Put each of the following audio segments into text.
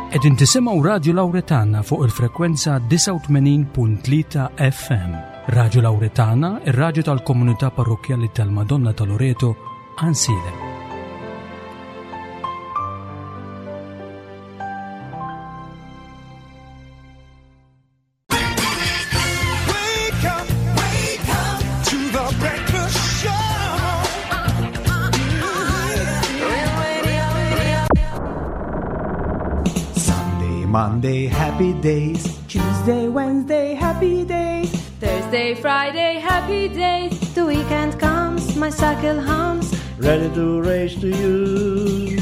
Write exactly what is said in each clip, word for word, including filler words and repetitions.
Qegħdin tisimgħu Radio Lauretana fuq il-frekwenza disgħa u tmenin punt tlieta F M. Radio Lauretana, ir-radju tal-Komunità Parrokkjali tal-Madonna ta' Loreto, Għajnsielem. Wake up, wake up to the breakfast show. Sunday, Monday, happy days. Tuesday, Wednesday, happy days. Thursday, Friday, happy days. The weekend comes, my cycle hums. Ready to race to you.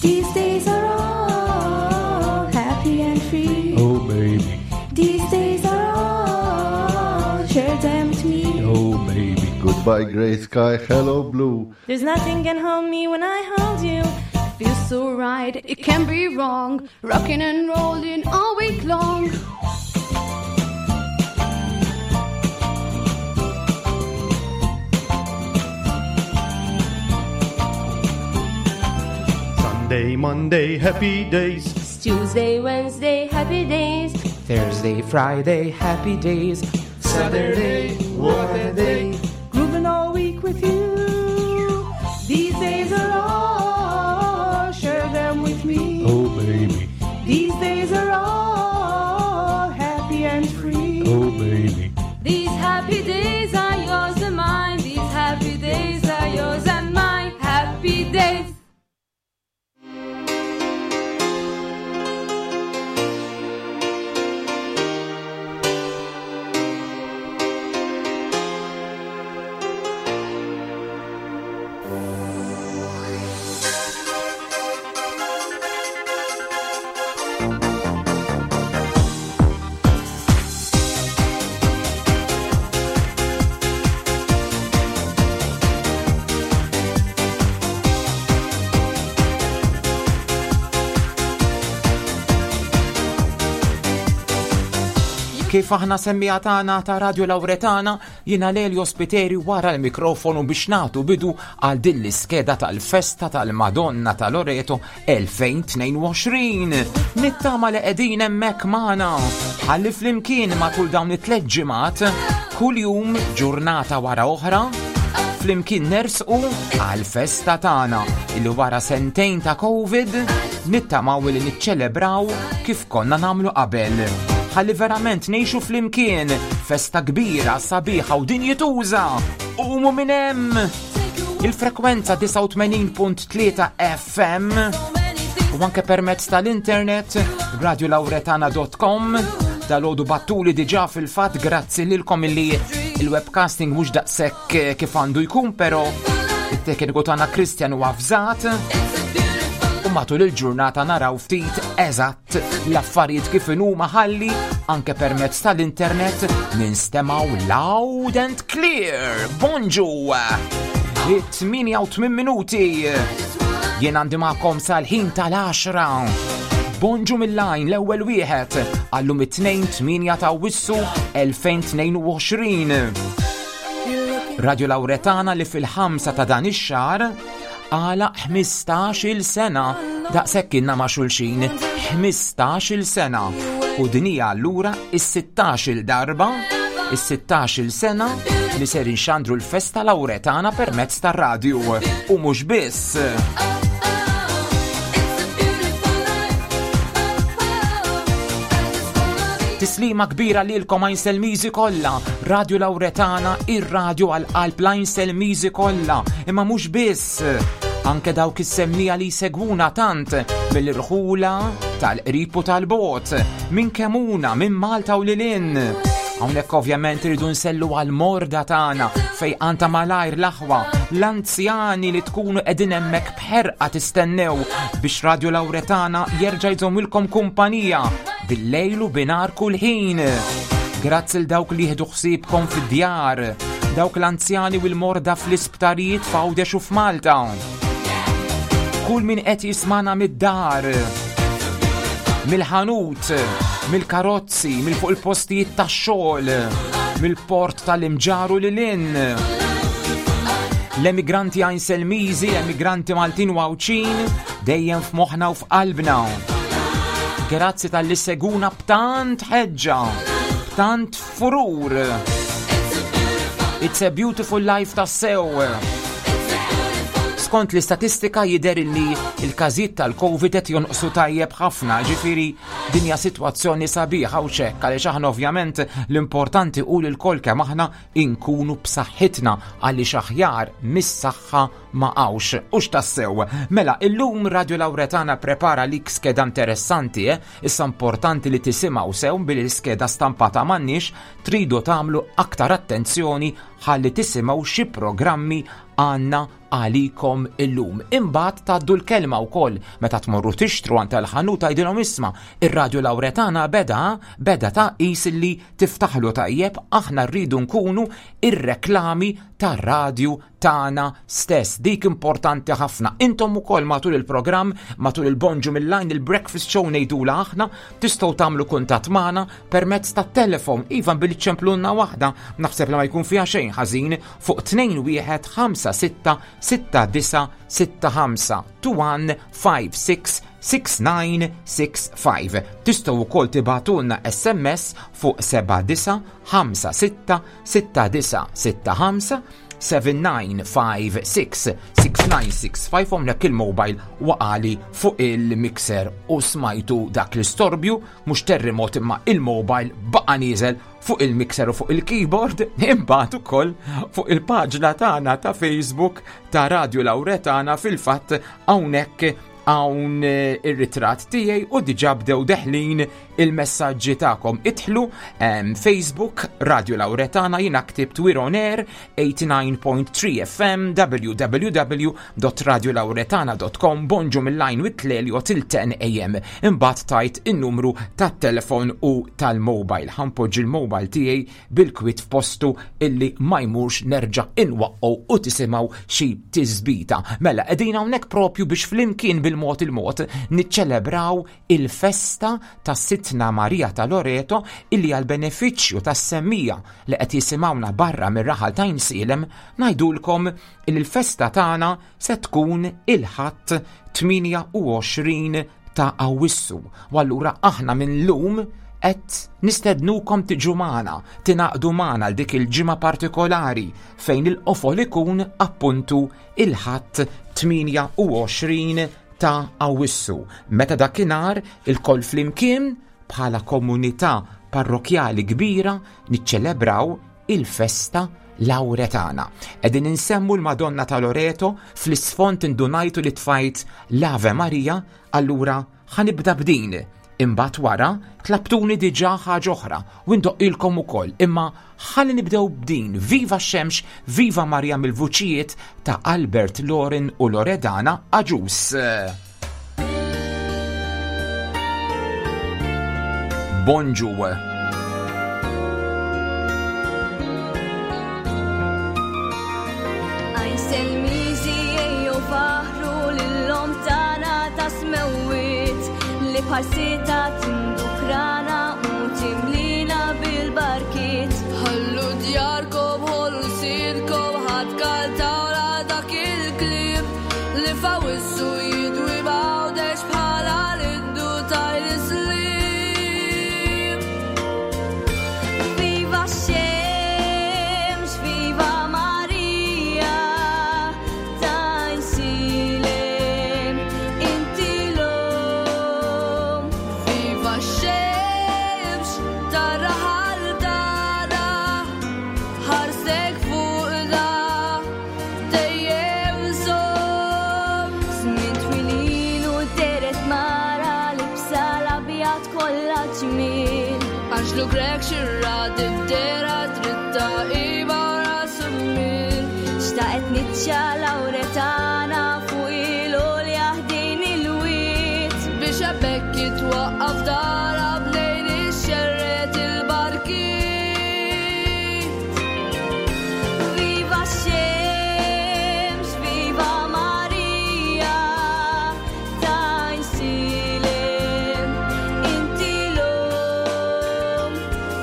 These days are all happy and free. Oh baby, These days are all, share them with me. Oh baby. Goodbye, gray sky, hello, blue. There's nothing can hold me when I hold you. Feels so right, it can't be wrong. Rocking and rolling all week long. Sunday, Monday, happy days. Tuesday, Wednesday, happy days. Thursday, Friday, happy days. Saturday, what a day. Grooving all week with you. These days are all, share them with me. Oh baby, These days are all happy and free. Oh baby. These happy days are yours and mine. These happy days are yours and mine. Happy days. Kif aħna semmiegħa tagħna ta' Radio Lauretana, jiena Lelio Spiteri wara l-mikrofonu biex nagħtu bidu għal din l-iskeda tal-festa tal-Madonna ta' Loreto elfejn u tnejn u għoxrin. Nittama li qegħdin hemmhekk magħna. Ħalli flimkien matul dawn it-tliet ġimgħat, kuljum ġurnata wara oħra, flimkien nersqu għal-festa tagħna illi wara sentejn ta' Covid nittamaw li niċċelebraw kif konna nagħmlu qabel. Ħalli verament ngħixu flimkien festa kbira, sabiħa u dinjituża. Umu minn hemm! Il-frekwenza disgħa u tmenin punt tlieta F M u anke permezz tal-internet radiolauretana punt com. Dalgħodu bagħtuli diġà fil-fatt, grazzi lilkom, illi il-webcasting mhux daqshekk eh, kif għandu jkun, però it-tekniku tagħna Christian huwa avżat u matul il-ġurnata naraw ftit eżatt l-affarijiet kif inhuma ħalli anke permezz tal-internet ninstemgħu loud and clear. Bonġu! It-tmienja u tmien minuti. Jien għandi magħkom sal-ħin tal-għaxra. Bonġu mill-lajn l-ewwel wieħed għallum it-tnejn tmienja ta' Awwissu elfejn u tnejn u għoxrin. Radio Lauretana li fil-ħamsa ta' dan ix-xahar għalaq ħmistax-il sena. Daqshekk kienna ma' xulxin ħmistax-il sena. U din hija allura is-sittax-il darba, is-sittax-il sena li ser inxandru l-festa Lauretana permezz tar-radju. U mhux biss. Tislima kbira lilkom Għajnselmiżi kollha, Radio Lauretana, ir-radju għal qalb l-Għajnselmiżi kollha, imma mhux biss. Anke dawk is-semmiegħa li jsegwuna tant mill-irħula tal-qrib u tal-bogħod, minn Kemuna, minn Malta u lil hinn. Hawnhekk ovvjament irridu nsellmu għall-morda tagħna fejn ta' malajr l-aħwa, l-anzjani li tkunu qegħdin hemmhekk b'ħerqa tistennew biex Radio Lauretana jerġa' jżommilkom kumpanija bil-lejl u binhar kull ħin. Grazzi 'l dawk li jieħdu ħsiebkom fid-djar, dawk l-anzjani u l-morda fl-isptarijiet f'Għawdex u f'Malta. Kull min qed jismana mid-dar, mill-ħanut, mill-karozzi, mill fuq il-postijiet tax-xogħol, mill-port tal-Imġarr u lil hinn. L-emigranti Għajnselmiżi, l-emigranti Maltin u Għawdxin, dejjem f'moħħna u f'qalbna. Grazzi talli ssegwuna b'tant ħeġġa, b'tant furur. It's a beautiful life tassew. Skont l-istatistika jidher li il-każijiet tal-Covid qed jonqsu tajjeb ħafna, ġifieri din hija sitwazzjoni sabiħa u ċekk għaliex aħna ovvjament l-importanti hu li lkoll kemm aħna inkunu b'saħħitna għaliex aħjar mis-saħħa ma hawnx. Hux tassew. Mela, illum Radio Lauretana prepara lik skeda interessanti, eh? Issa importanti li tisimgħu sew billi l-skeda stampata m'għandniex, tridu tagħmlu aktar attenzjoni ħalli tisimgħu xi programmi għandna għalikom illum. Imbagħad tgħaddu l-kelma wkoll meta tmorru tixtru għand tal-ħanut tgħidilhom isma' ir-Radio Lauretana beda beda ta' qis li tiftaħlu tajjeb, aħna rridu nkunu ir-reklami tar-radju tagħna stess. Dik importanti ħafna. Intom ukoll matul il-programm, matul il-Bonġu mill-Line, il-breakfast show ngħidula aħna, tistgħu tagħmlu kuntatt magħna permezz tat-telefon. Iva billi ċemplunna waħda, naħseb li ma jkun fiha xejn ħażin fuq tnejn wieħed ħamsa sitta sitta disa sitta ħamsa two one five six six nine six five. Tistgħu wkoll tibagħtulna S M S fuq seba' disa ħamsa sitta sitta disa sitta ħamsa seven nine five six six nine six five. Hawnhekk il-mobile waqali fuq il-mixer u smajtu dak l-istorbju, mhux terremot imma il-mobile baqa' nieżel fuq il-mixer u fuq il-keyboard. Imbagħad ukoll fuq il-paġna tagħna ta' Facebook ta' Radio Lauretana fil-fatt hawnhekk hawn, eh, ir-ritratt tiegħi u diġà bdew deħlin il-messaġġi tagħkom. Idħlu, ehm, Facebook Radio Lauretana, jiena ktibt We're on Air eighty-nine point three F M, w w w dot radio lauretana dot com, Bonġu mill-line with Lelio till ten A M. Imbagħad tajt in-numru tat-telefon u tal-mobile. Ħanpoġġi il-mobile tiegħi bil-kwit f'postu illi ma jmurx nerġa' inwaqqgħu u tisimgħu xi tisbita. Mela qegħdin hawnhekk propju biex flimkien bil-mod il-mod niċċelebraw il-festa ta' Sidtna Marija ta' Loreto illi għal benefiċċju tas-semmija li qed jisimgħuna barra mir-raħal ta' Għajnsielem ngħidulkom li l-festa tagħna se tkun il-Ħadd tmienja u għoxrin ta' Awwissu. U allura aħna minn lum qed nistednukom tiġu magħna, tingħaqdu magħna għal dik il-ġimgħa partikolari fejn il-qofol ikun appuntu il-Ħadd tmienja u għoxrin ta' Awwissu. Meta dakinhar il-koll flimkien bħala komunità parrokjali kbira niċċelebraw il-festa Lauretana. Qegħdin insemmu l-Madonna ta' Loreto, fl-isfond indunajtu li tfajt l-Ave Maria, allura ħanibda b'din. Imbagħad wara tlabtuni diġà ħaġa oħra u ndoqqilkom ukoll, imma ħalli nibdew b'din. Viva x-xemx, viva Marija mill-vuċijiet ta' Albert Loren u Loredana Agius. Bonġu. Bħal-sita tindukrana u timlina bil-barkiet. Ħallu djarkom, ħollu sidkom, ħadd kaltawla dak il-kliem li fawissu jidwi b'għawdex bħala l-indu tajl-islim. Viva x-xemx, viva Marija, tajn-silem, inti l-om. Viva x-xemx, tarraħal tagħna, ħarsek fuqna, dejjem żomm. Żmien twilin u deret mara libsa l-abjad kollha ġmiel. Anġlu Grek xirra dibdera dritta iba ras il-mil. Xtaqet niċċa Lauretana fuq il-għolja ħdejn il-wied. Biex hemmhekk jitwaqqaf dara bnejn ix-xerret il-barkiet. Viva x-xemx, viva Marija, tajn-silem, inti l-om.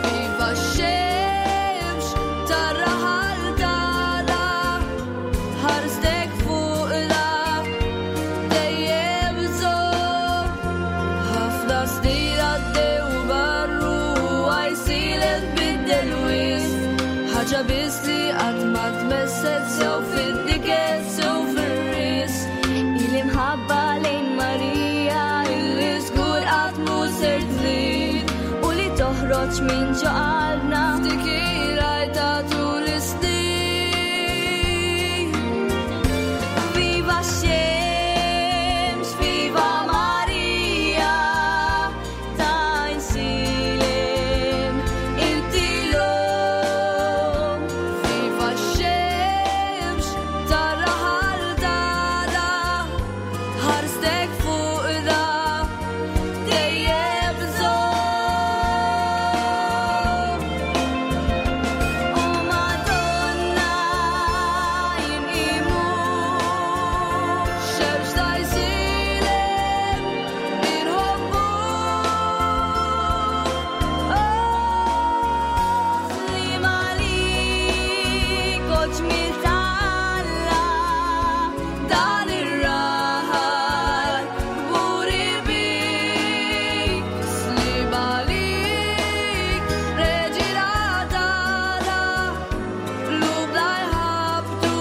Viva x-xemx, tarraħal tagħna, ħarstek fuqna, dejjem żomm. Ħafna snin Tnissel sew fid-niket sew fir-ris. Il-imħabba lejn Marija illi żgur qatt mhu ser trid u li toħroġ minn ġo qalbna f'dik il-għajta tul is-snin. Viva x-xemx, viva Marija, ta' Għajnsielem, inti l-omm. Viva x-xemx, tar-raħal tagħna, ħarstek fuq da, dejjem żomm. O Madonna, inqimu, xemx ta' Għajnsielem, inħobbu. Li malik o ġmiel ta' Alla, dan ir-raħal kburi bik. Slim għalik, reġina tagħna, qlubna jħabbtu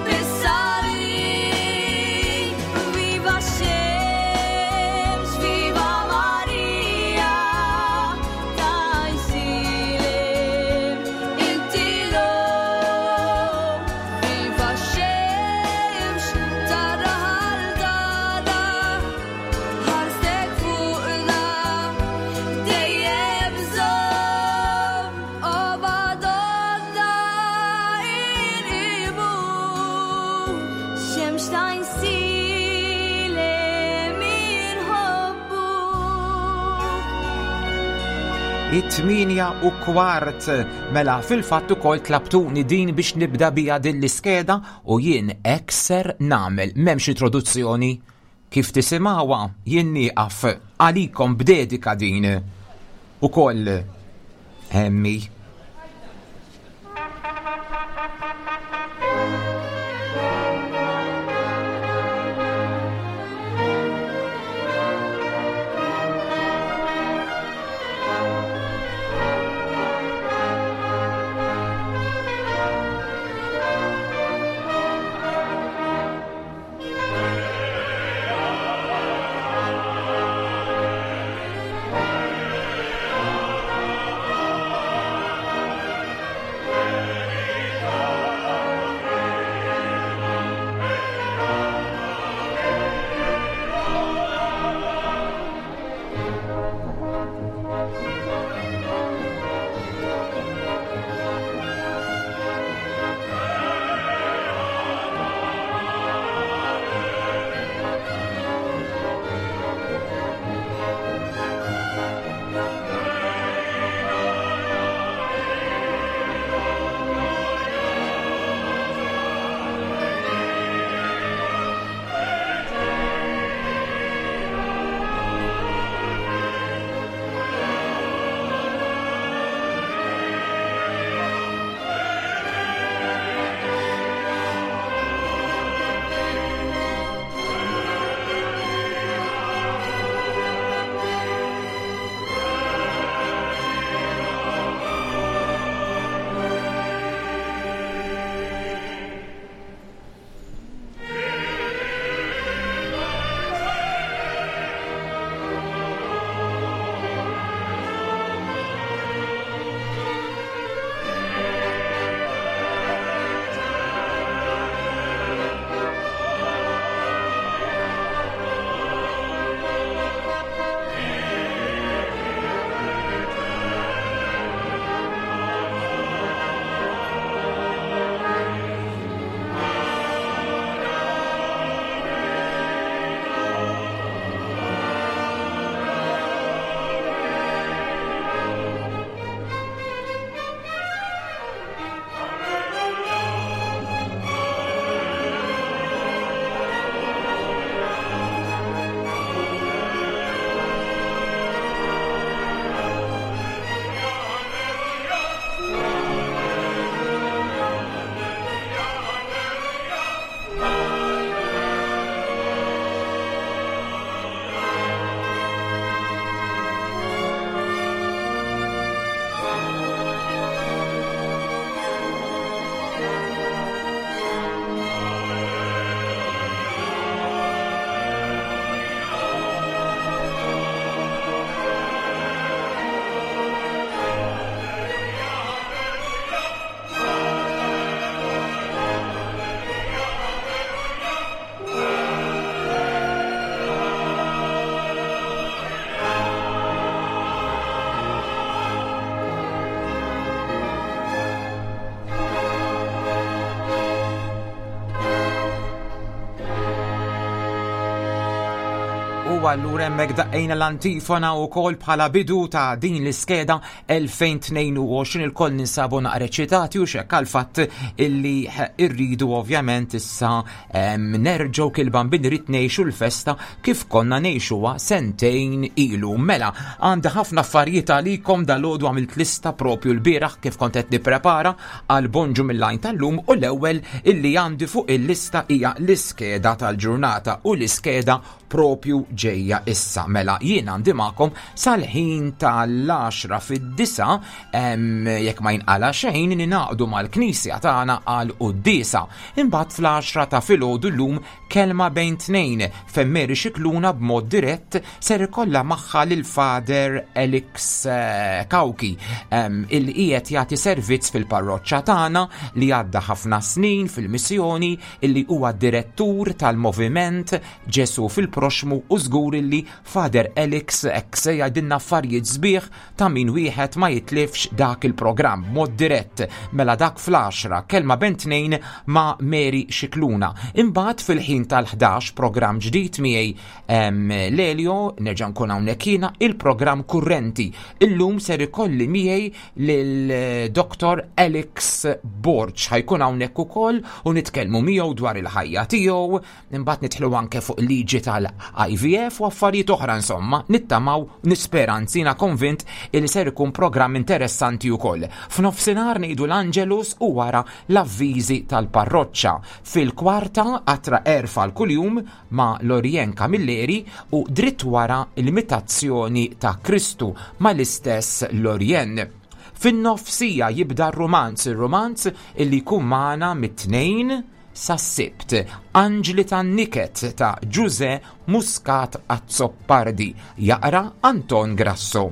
bis-salib. Viva x-xemx, viva Marija, ta' Għajnsielem, inti l-omm. Viva x-xemx, tar-raħal tagħna, ħarstek fuqna, dejjem żomm. O Madonna, inqimu, xemx ta' Għajnsielem inħobbu. It-tminja u kwart. Mela fil-fatt ukoll tlabtuni din biex nibda bija din l-iskeda u jien ekser nagħmel m'hemmx introduzzjoni. Kif tisimgħuha jien nieqaf għalikom b'dedika din. Ukoll hemmi. Thank U allura hemmhekk daqqejna l-antifona wkoll bħala bidu ta' din l-iskeda elfejn tnejn u għoxrin. Il-koll ninsabu naqra eċitati u xekk għal-fatt illi irridu ovvjament issa, em, nerġgħu kil-bambin irid ngħixu l-festa kif konna ngħixuha sentejn ilu. Mela, għandi ħafna affarijiet għalikom dal-għodu, għamilt lista propju l-bieraħ kif kont qed nipprepara għal Bonġu mill-Għajn tal-lum, u l-ewwel illi għandi fuq il-lista hija l-iskeda tal-ġurnata, u l-iskeda propju ġejja issa. Mela, jien għandi magħkom sal-ħin tal-għaxra fid-disa, em, jekk ma jinqala xejn, ninaqdu mal-knisja tagħna għal quddiesa. Imbagħad fl-għaxra ta' filgħodu llum kelma bejn tnejn fejn Mary Scicluna b'mod dirett ser ikollha magħha lil Father Alex, eh, Cauchi, em, il qiegħed jagħti servizz fil-parroċċa tagħna, li għadda ħafna snin fil-missjoni, illi huwa direttur tal-moviment Ġesu fil-Proxmu, u żgur illi Father Alex hekk se jgħidilna affarijiet sbieħ ta' min wieħed ma jitlifx dak il-programm mod dirett. Mela dak fl-għaxra, kelma bejn tnejn ma' Mary Scicluna. Imbagħad fil-ħin tal-ħdax programm ġdid miegħi, em, Lelio, nerġa' nkun hawnhekk jiena, il-programm kurrenti. Illum ser ikolli miegħi lil Doktor Alex Borg, ħa jkun hawnhekk ukoll u nitkellmu miegħu dwar il-ħajja tiegħu, imbagħad nidħlu anke fuq liġi tal-I V F u affarijiet oħra, insomma, nittamaw, nispera, anzi jiena konvint li ser ikun programm interessanti wkoll. F'nofsinhar ngħidu l-Angelus u wara l-avviżi tal-parroċċa. Fil-kwarta atra erfa l-kuljum ma' Lorien Camilleri u dritt wara l-imitazzjoni ta' Kristu ma' l-istess Lorien. Fin-nofsija jibda r-romanz, ir-romanz illi jkun magħna mit-tnejn sas-Sibt. Anġli tan-Niket ta' Ġuże Muscat Azzopardi, jaqra Anton Grasso.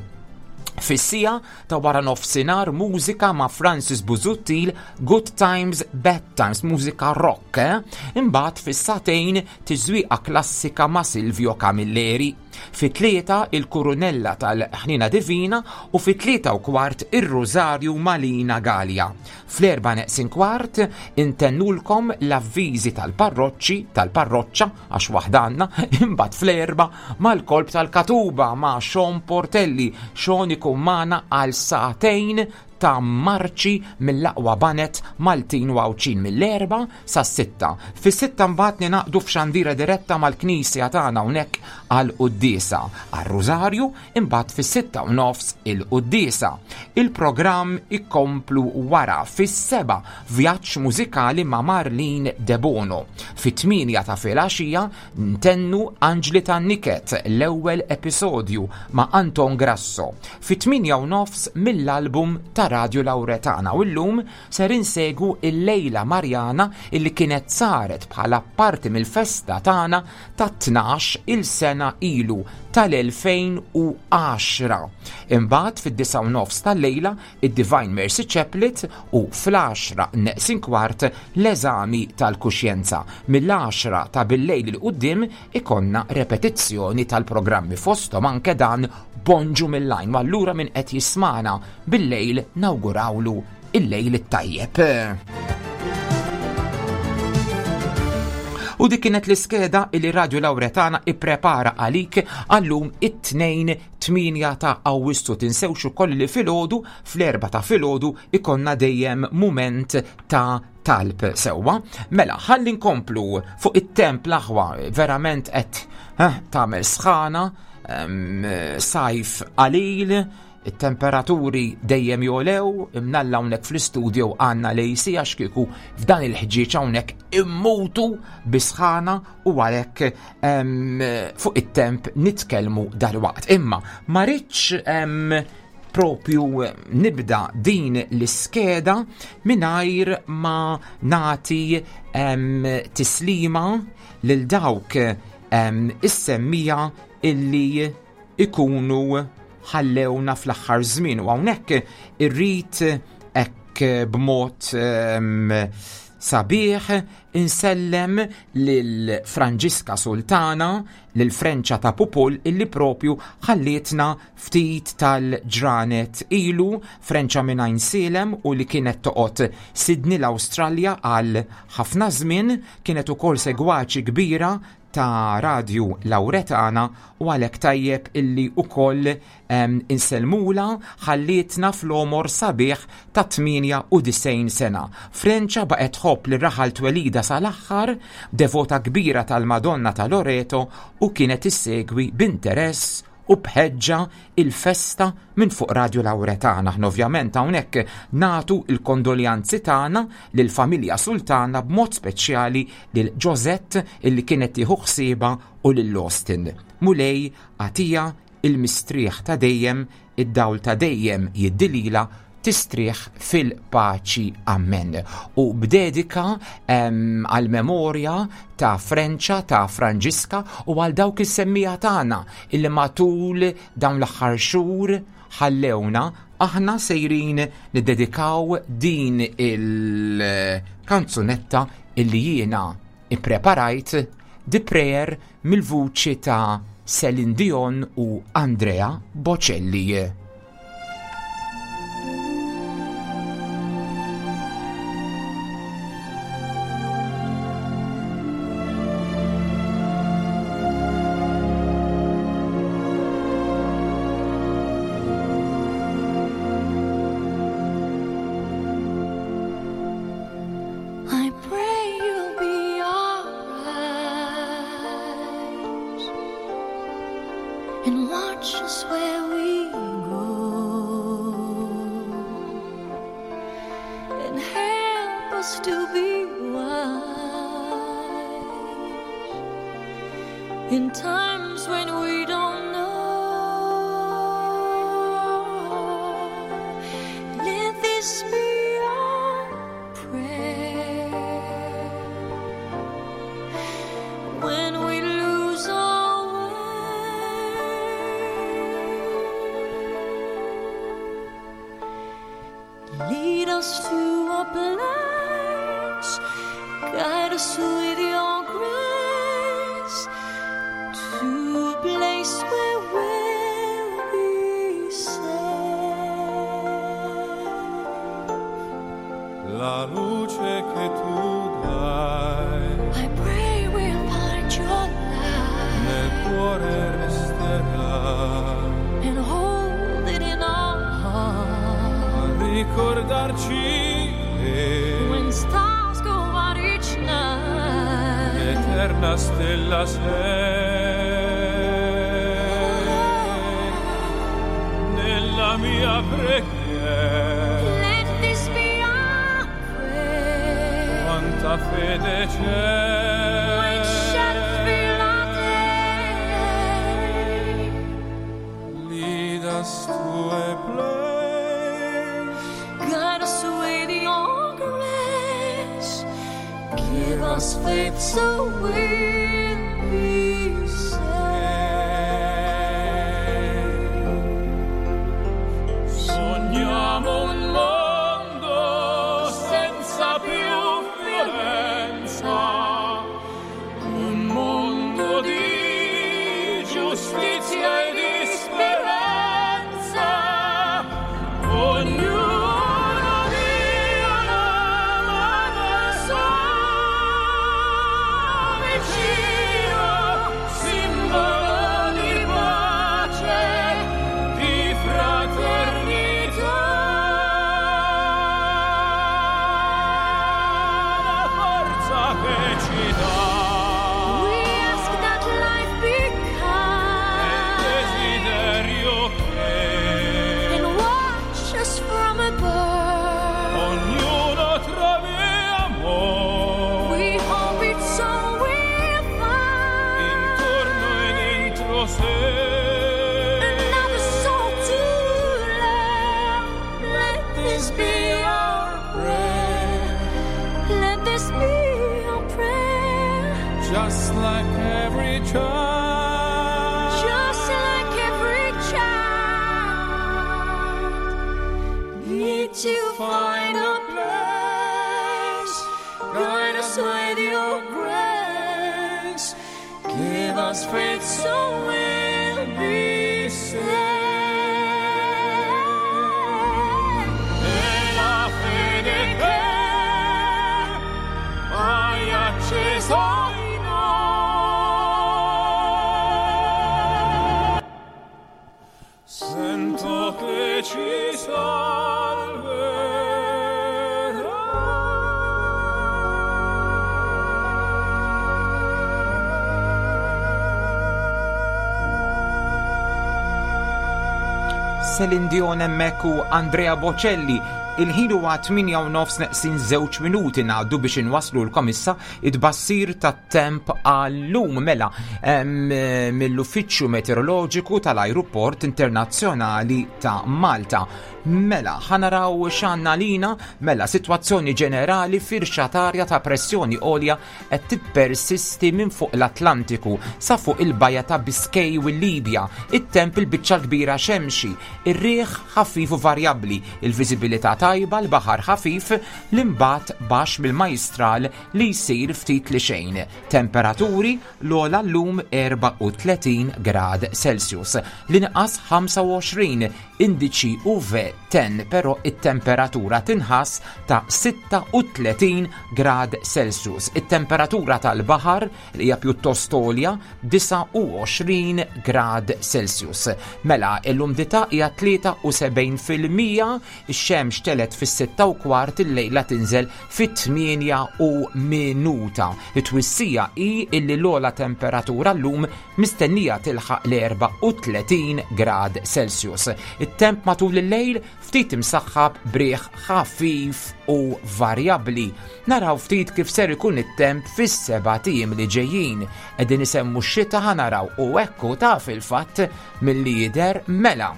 Fis-siegħa ta' wara nofsinhar mużika ma' Francis Busuttil, Good Times, Bad Times, mużika rock, eh? Imbagħad fis-sagħtejn tiżwieqa klassika ma' Silvio Camilleri. Fit-tlieta il-Kurunella tal-Ħnina Divina u fit-tlieta u kwart ir-Rosario Malina Gallia. Fl-erba' neqsin kwart intennulkom l-avviżi tal-parroċċi, tal-parroċċa, għax waħda għandna, imbagħad fl-erba' mal-kolb tal-Katuba ma' Sean Portelli. Sean ikun magħna għal sagħtejn ta' marċi mill-aqwa banet Maltin u Għawdxin mill-erba' sas-sitta. Fis-sitta mbagħad ninaqdu f'xandira diretta mal-knisja tagħna hawnhekk għal quddiesa, għar-Rużarju, imbagħad fis-sitta u nofs il-quddiesa. Il-programm ikomplu wara fis-seba' vjaġġ mużikali ma' Marlene Debono. Fit-tmienja ta' filgħaxija ntennu Anġli tan-Niket, l-ewwel episodju ma' Anton Grasso. Fit-tmienja u nofs mill-album ta' Radio Lauretana, u llum ser insegu il-Lejla Marjana illi kienet saret bħala parti mill-festa tagħna ta' tnax il-sena ilu tal-elfejn u għaxra. Imbagħad fid-disgħa u nofs tal-lejla id-Divine Mercy Chaplet u fl-għaxra neqsin kwart l-eżami tal-kuxjenza. Mill-għaxra ta' bil-lejl il quddiem ikonna repetizzjoni tal-programmi fosthom anke dan Bonġu mill-Għajn. U allura min qed jismana bil-lejl nawgurawlu il-lejl it-tajjeb. U dik kienet l-iskeda li Radio Lauretana ipprepara għalik għallum it-tnejn tmienja ta' Awwissu. Tinsewx ukoll li filgħodu fl-erba' ta' filgħodu ikonna dejjem mument ta' talb sewwa. Mela, ħalli nkomplu fuq it-temp l-aħwa, verament qed, eh, tagħmel sħana, em, sajf qalil, it-temperaturi dejjem jolew, imnalla hawnhekk fl-istudio għandna l-A C għax kieku f'dan il-ħġieġ hawnhekk immutu bisħana, u għalhekk, em, fuq it-temp nitkellmu dalwaqt. Imma ma rridx, em, propju nibda din l-iskeda mingħajr ma nagħti, em, tislima lil dawk, em, is-semmija illi ikunu ħallewna fl-aħħar żmien, u hawnhekk irrid hekk b'mod, em, sabiħ insellem lil Franġiska Sultana, lil Frenċa ta' Pupul, illi propju ħallietna ftit tal-ġranet ilu. Frenċa minn Għajnsielem u li kienet toqgħod Sydney l-Awstralja għal ħafna żmien, kienet ukoll segwaċi kbira ta' Radju Lauretana u għalhekk tajjeb illi ukoll insellmula ħallietna fl-omor sabiħ ta' tmienja u disgħin sena. Frenċa baqgħet tħobb li raħal twelida sal-aħħar, devota kbira tal-Madonna ta' Loreto u kienet issegwi b'interess u bħeġġa il-festa minn fuq Radju Lauretana. Aħna ovvjament hawnhekk natu il-kondoljanzi tagħna lill-familja Sultana b'mod speċjali lil Josette illi kienet tieħu ħsiebha u lil Austin. Mulej għatija il-mistrieħ ta' dejjem, id-dawl ta' dejjem jiddilila, tistrieħ fil-paċi. Amen. U b'dedika għal-memorja ta' Frenċa, ta' Franġiska u għal dawk is-semmija tagħna illi matul dawn l-aħħar xhur ħallewna, aħna sejrin niddedikaw din il-kanzunetta illi jiena ippreparajt, The Prayer, mill-vuċi ta' Celine Dion u Andrea Bocelli. I pray you'll be our eyes and watch us where we go and help us to be wise in times when we don't know. Let this be our prayer when we lose our way. Lead us to a place, guide us with your grace, to a place where we'll be safe. La luce che tu dai I pray we'll find your light nel cuore resterà and hold it in our heart a ricordarci che when stars go out each night. l'eterna stella sei nella mia preghiera. Let this be our prayer Quanta fede c'è when shadows fill our day. Lead us to a place, Guide us with your grace, give us faith so we'll be saved. Sogniamo un mondo senza più violenza, un mondo di giustizia e di speranza. Ognuno dia la mano al suo vicino, simbolo di pace, di fraternità. La forza che ci dà We ask that life be è il kind desiderio che and watch us from above. ognuno trovi amore We hope it's all we'll find. intorno e dentro sé. Another soul to love. Let this be our prayer. Let this be our prayer. Just like every child, Just like every child need to find a place. Guide us with your grace. Give us faith so we'll be saved. E la fede che hai acceso in noi Celine Dion hemmhekk u Andrea Bocelli. Il-ħin huwa tmienja u nofs neqsin żewġ minuti, ngħaddu biex inwasslulkom issa it-tbassir tat-temp għal-lum, mela em, mill-Uffiċċju Meteoroloġiku tal-Ajruport Internazzjonali ta' Malta. Mela, ħa naraw x'għandna lina, mela sitwazzjoni ġenerali: firxa t'arja ta' pressjoni għolja qed tippersisti minn fuq l-Atlantiku sa fuq il-Baja ta' Biscay u l-Libja. It-temp il-biċċa kbira xemxi, ir-riħ ħafif u varjabbli, il-viżibilità tajba, l-baħar ħafif, l-imbat baxx mill-majstral li jsir ftit li xejn. Temperaturi: l-ogħla llum erbgħa u tletin grad Celsius, l-inqas ħamsa u għoxrin, indiċi U V dieci, però it-temperatura tinħass ta' sitta u tletin grad Celsius. It-temperatura tal-baħar li hija pjuttost għolja, disgħa u għoxrin grad Celsius. Mela, l-umdità hija tlieta u sebgħin fil-mija, ix-xemx telgħet fis-sitta u kwart, il-lejla tinżel fit-tmienja u minuta. It-twissija hi illi l-ogħla temperatura llum mistennija tilħaq l-erbgħa u tletin grad Celsius. It-temp matul il-lejl ftit imsaħħab b'riħ ħafif u varjabbli. Naraw ftit kif ser ikun it-temp fis-sebat ijiem li ġejjin. Qegħdin isemmu x-xita, ħa naraw, u ekku ta' fil-fatt milli jidher, mela.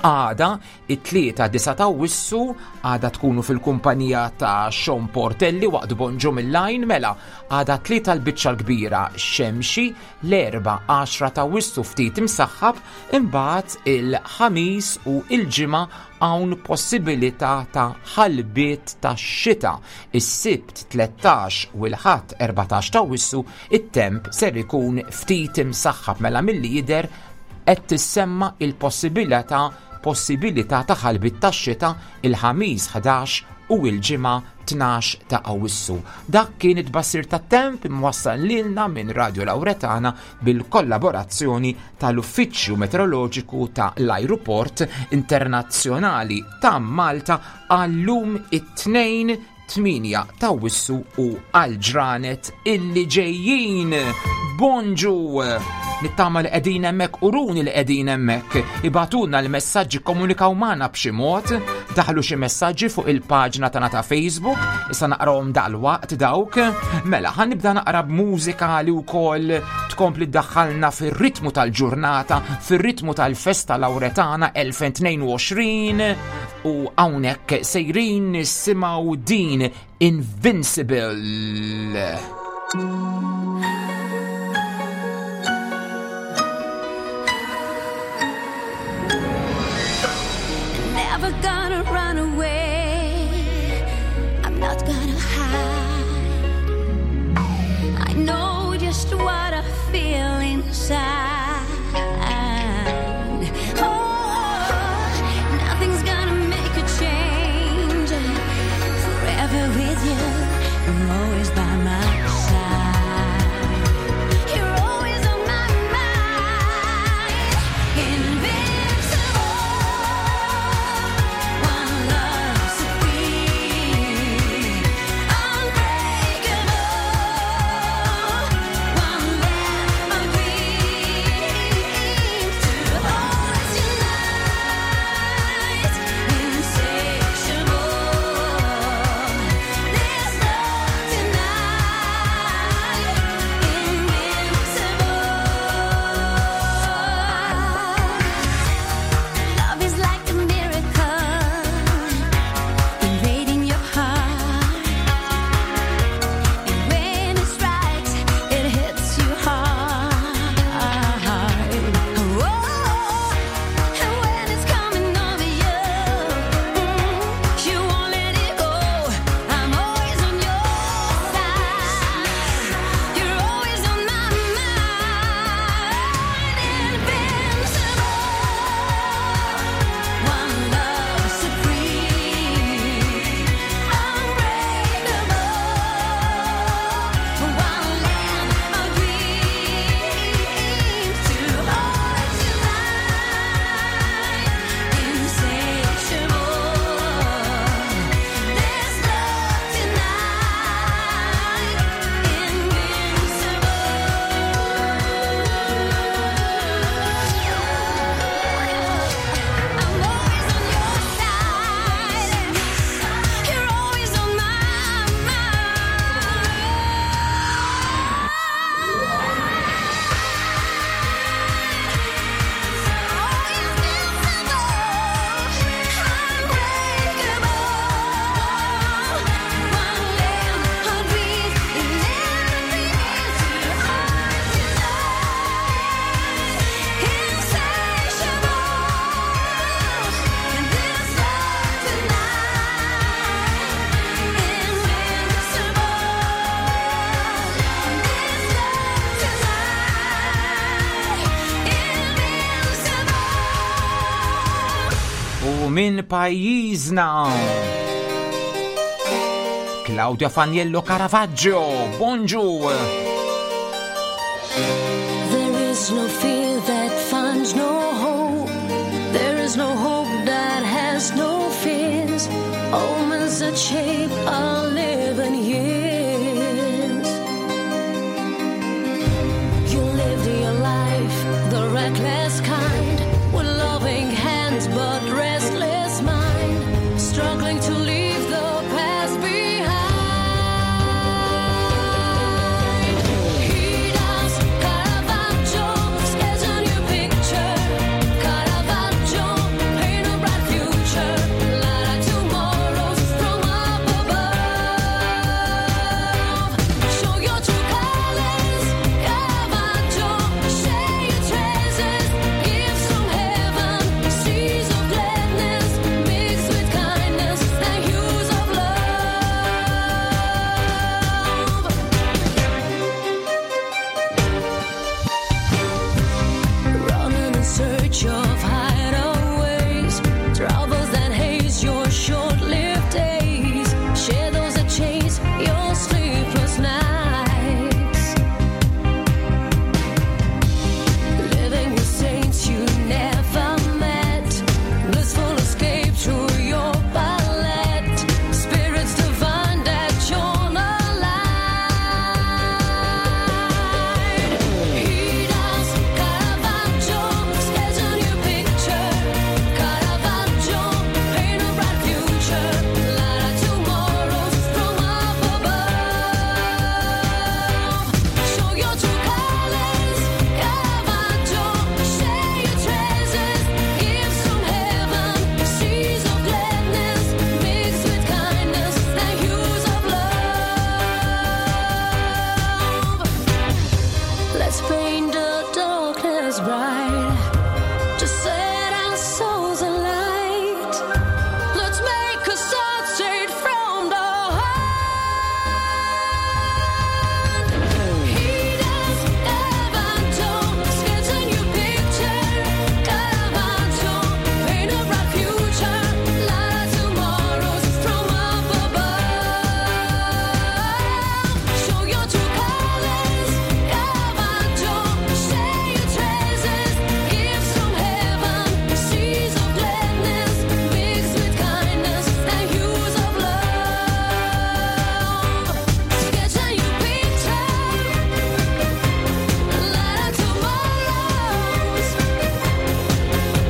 Għada, it-tlieta disgħa ta' Awwissu, għada tkunu fil-kumpanija ta' Sean Portelli waqt Bonġu mill-Lajn, mela, għada tlieta l-biċċa l-kbira xemxi, l-Erbgħa għaxra ta' Awwissu ftit imsaħħab, imbagħad il-Ħamis u il-Ġimgħa hawn possibilità ta' ħalbiet ta' xita. Is-Sibt tlettax u l-Ħadd erbatax ta' Awwissu it-temp ser ikun ftit imsaħħab, mela milli jidher qed tissemma il-possibilità possibilità ta' ħalbit tax-xita il-Ħamis ħdax u il-Ġimgħa tnax ta' Awwissu. Dak kien it-tbassir tat-temp imwassal lilna minn Radio Lauretana bil-kollaborazzjoni tal-Uffiċċju Meteoroloġiku ta' l-Ajruport Internazzjonali ta' Malta għallum it-Tnejn tmienja ta' Awwissu u għal-ġranet illi ġejjin. Bonġu! Nittama li qegħdin hemmhekk, uruni li qegħdin hemmhekk. Ibagħtulna l-messaġġi, komunikaw magħna b'xi mod, daħlu xi messaġġi fuq il-paġna tagħna ta' Facebook, issa naqrawhom dal-waqt dawk. Mela, ħa nibda naqra b'mużika li wkoll tkompli ddaħħalna fir-ritmu tal-ġurnata, fir-ritmu tal-festa Lauretana elfejn u tnejn u għoxrin, u hawnhekk sejrin nisimgħu din Invincible. Never gonna run away. I'm not gonna hide. I know just what I feel inside. Oh, nothing's gonna make a change. Forever with you, you're always by my side. minn pajjiżna. Claudia Faniello Caravaggio, bonġu! There is no fear that finds no hope. There is no hope that has no fears. Omens that shape our living years. You lived your life, the reckless kind, with loving hands but restless mind, struggling to leave the past behind. He does Caravaggio, sketch a new picture. Caravaggio, paint a bright future. Light our tomorrows from up above. Show your true colors, Caravaggio. Share your treasures, gifts from heaven, seas of gladness mixed with kindness and hues of love. Running in search of hideaways, troubles that haze your short-lived days, shadows that chase your sleepless nights. Living with saints you never met, blissful escape through your palette, spirits divine that shone a light. He does Caravaggio, sketch a new picture. Caravaggio, paint a bright future. Light our tomorrows from up above. Show your true colors, Caravaggio. Share your treasures, gifts from heaven, seas of gladness mixed with kindness and hues of love. Let's paint the darkness bright to set our souls alight. Let's make a start straight from the heart. He does Caravaggio, sketch a new picture. Caravaggio, paint a bright future. Light our tomorrows from up above. Show your true colors, Caravaggio. Share your treasures, gifts from heaven, seas of gladness mixed with kindness and hues of love. Sketch a new picture, light our tomorrows.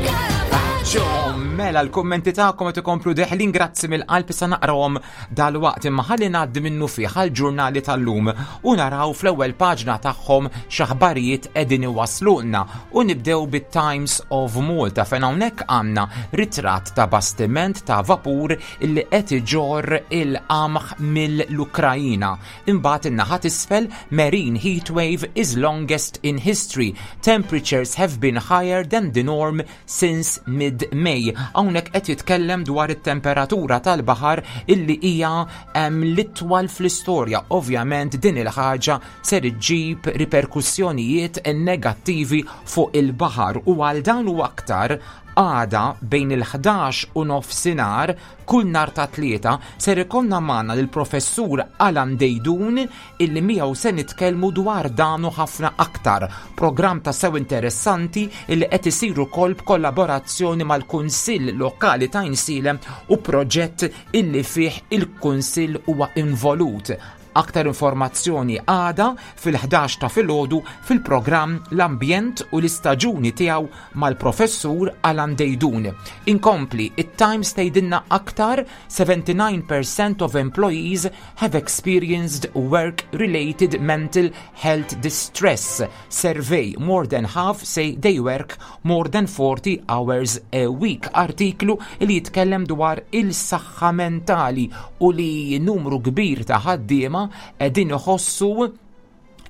Caravaggio. Mela, l-kommenti tagħkom qed ikomplu deħlin, grazzi mill-qalb, sa naqrawhom dal-waqt, imma ħalli ngħaddi minnu fih għall-ġurnali tal-lum u naraw fl-ewwel paġna tagħhom x'aħbarijiet qegħdin iwaslulna, u nibdew bit-Times of Malta, fejn hawnhekk għandna ritratt ta' bastiment ta' vapur illi qed iġorr il-qamħ mill-Ukrajina. Imbagħad in-naħa t'isfel, "Marine heatwave is longest in history. Temperatures have been higher than the norm since mid-May." Hawnhekk qed jitkellem dwar it-temperatura tal-baħar illi hija em, l-itwal fl-istorja. Ovvjament din il-ħaġa ser iġġib riperkussjonijiet negattivi fuq il-baħar, u għal dan u aktar għada bejn il-ħdax u nofsinhar kull nhar ta' Tlieta ser ikollna magħna lill-professur Alan Deidun, illi miegħu se nitkellmu dwar dan u ħafna aktar. Programm ta' sew interessanti illi qed isir ukoll b'kollaborazzjoni mal-Kunsill Lokali ta' Għajnsielem u proġett illi fih il-Kunsill huwa involut. Aktar informazzjoni għada fil-ħdax ta' filgħodu fil-programm L-Ambjent u l-Istaġuni tiegħu mal-professur Alan Deidun. Inkompli, it-Times tgħidilna aktar: seventy-nine percent of employees have experienced work-related mental health distress. Survey, more than half say they work more than forty hours a week. Artiklu li jitkellem dwar il-saħħa mentali u li numru kbir ta' ħaddiema qegħdin iħossu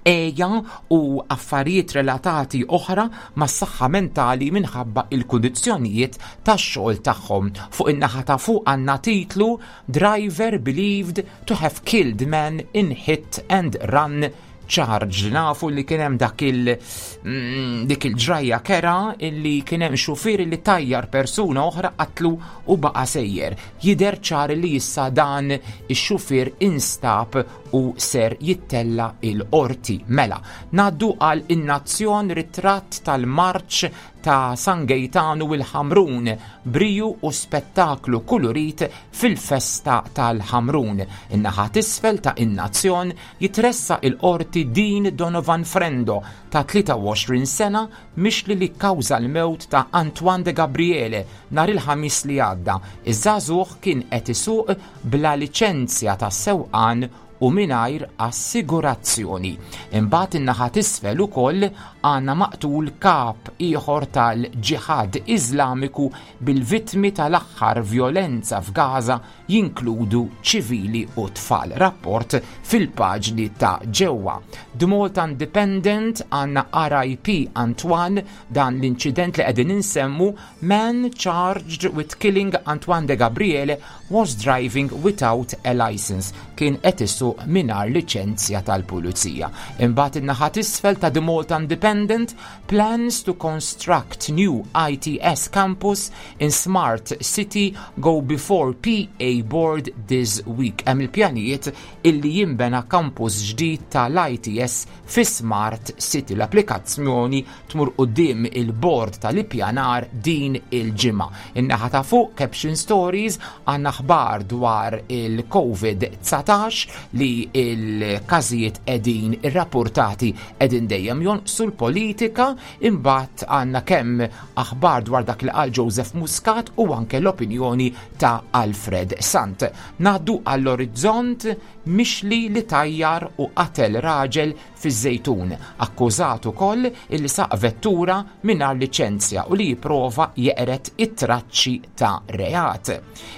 għeja u affarijiet relatati oħra mas saħħa mentali minħabba il-kundizzjonijiet tax-xogħol tagħhom. Fuq in-naħa ta' fuq għandna titlu: "Driver believed to have killed man in hit and run charged. Nafu li kien hemm dak il mm, dik il-ġrajja kerha illi kien hemm xufier li tajjar persuna oħra, qatlu u baqa' sejjer. Jidher ċar li issa dan ix-xufier instab u ser jittella il-qorti. Mela, ngħaddu għal In-Nazzjon, ritratt tal-marċ ta' San Gejtanu u l-Ħamrun, briju u spettaklu kulurit fil-festa tal-Ħamrun. In-naħa t'isfel ta' In-Nazzjon, jitressa il-qorti Dean Donovan Frendo ta' tlieta u għoxrin sena, mixli li kkawża l-mewt ta' Antoine de Gabriele nhar il-Ħamis li għadda. Iż-żagħżugħ kien qed isuq bla liċenzja ta' sewqan u mingħajr assigurazzjoni. Imbagħad in-naħa t'isfel ukoll għandna maqtul kap ieħor tal-Ġihad Iżlamiku, bil-vittmi tal-aħħar violenza f'Gaza jinkludu ċivili u tfal. Rapport fil-paġni ta' ġewwa. The Malta Independent, għandna R I P Antoine, dan l-inċident li qegħdin insemmu, man charged with killing Antoine de Gabriele was driving without a license. Kien qed isuq mingħajr liċenzja tal-pulizija. Imbagħad in-naħa t'isfel ta' The Malta Independent, plans to construct new I T S campus in Smart City go before P A board this week. Hemm il-pjanijiet illi jimbena campus ġdid tal-I T S fi Smart City. L-applikazzjoni tmur quddiem il-board tal-ippjanar din il-ġimgħa. In-naħa ta' fuq, Caption Stories, għandna aħbar dwar il-Covid dsatax, li il-każijiet qegħdin irrapportati qegħdin dejjem jonqsu, l-politika, imbagħad għandna kemm aħbar dwar dak li qal Joseph Muscat u anke l-opinjoni ta' Alfred Sant. Ngħaddu għall-Orizzont, mixli li tajjar u qatel raġel fiż-Żejtun, akkużat ukoll illi saq vettura mingħajr liċenzja u li jipprova jeqret it-traċċi ta' reat.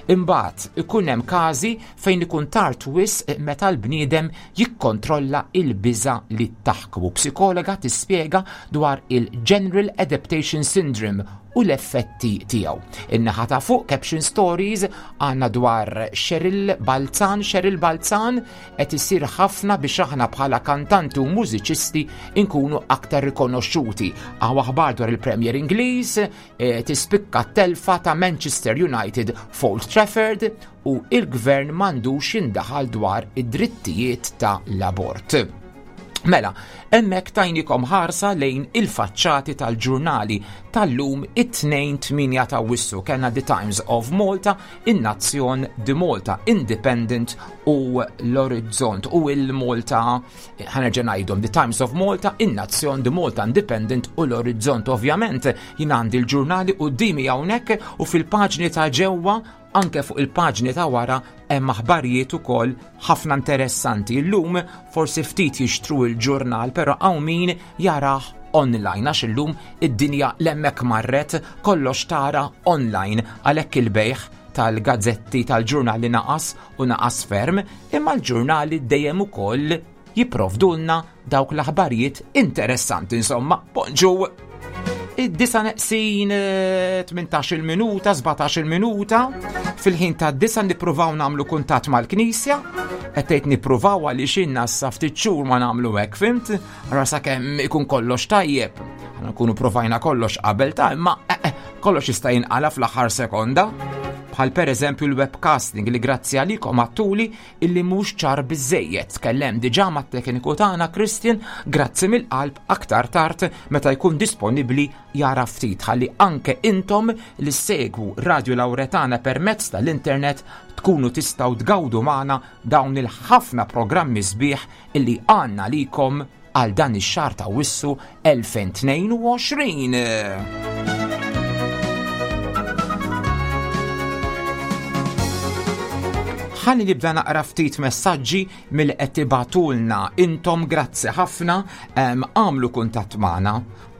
Imbagħad ikun hemm każi fejn ikun tard wisq meta l-bniedem jikkontrolla il-biża li taħkmu. Psikologa tispjega dwar il-General Adaptation Syndrome u l-effetti tiegħu. In-naħa ta' fuq, Caption Stories, għandna dwar Cheryl Balzan. Cheryl Balzan, qed isir ħafna biex aħna bħala kantanti u mużiċisti inkunu aktar rikonoxxuti. Hawn aħbar dwar il-Premier Ingliż, e, tispikka telfa ta' Manchester United f'Old Trafford u il-gvern m'għandux jindaħal dwar id-drittijiet ta' l-abort. Mela, hemmhekk tajnikom ħarsa lejn il-faċċati tal-ġurnali tal-lum, it-Tnejn tmienja ta' Awwissu. Kellna The Times of Malta, In-Nazzjon, The Malta Independent u l-Orizzont u il-Malta, ħa nerġa' ngħidhom, The Times of Malta, In-Nazzjon, The Malta Independent u l-Orizzont. Ovvjament, jien għandi l-ġurnali quddiemi hawnhekk u fil-paġni ta' ġewwa, anke fuq il-paġni ta' wara, hemm aħbarijiet ukoll ħafna interessanti. Illum forsi ftit jixtru il-ġurnal, però hawn min jarah online għax illum id-dinja hemmhekk marret, kollox tara online, għalhekk il-bejħ tal-gazzetti, tal-ġurnali naqas u naqas ferm, imma l-ġurnali dejjem ukoll jipprovdulna dawk l-aħbarijiet interessanti. Insomma, bonġu! Id-disa neqsin tmintax-il minuta, sbatax-il minuta, fil-ħin ta' disa nippruvaw nagħmlu kuntatt mal-knisja, qed nippruvaw għaliex inna sa ftit xhur ma nagħmlu hekk, fhimt? Ara sakemm ikun kollox tajjeb. Aħna nkunu provajna kollox qabel ta' imma eh, eh, kollox jista' jinqala fl-aħħar sekonda. Bħal per eżempju l-webcasting li grazzi għalikom għedtuli illi mhux ċar biżejjed. Tkellem diġà mat-tekniku tagħna Christian, grazzi mill-qalb, aktar tard meta jkun disponibbli jara ftit ħalli anke intom li segwu Radio Lauretana permezz tal-internet tkunu tistgħu tgawdu magħna dawn il-ħafna programmi sbieħ illi għandna likom għal dan ix-xahar ta' Awwissu elfejn u tnejn u għoxrin. Ħalli nibda naqra ftit messaġġi mill qed tibagħtulna intom, grazzi ħafna, għamlu kuntatt magħna.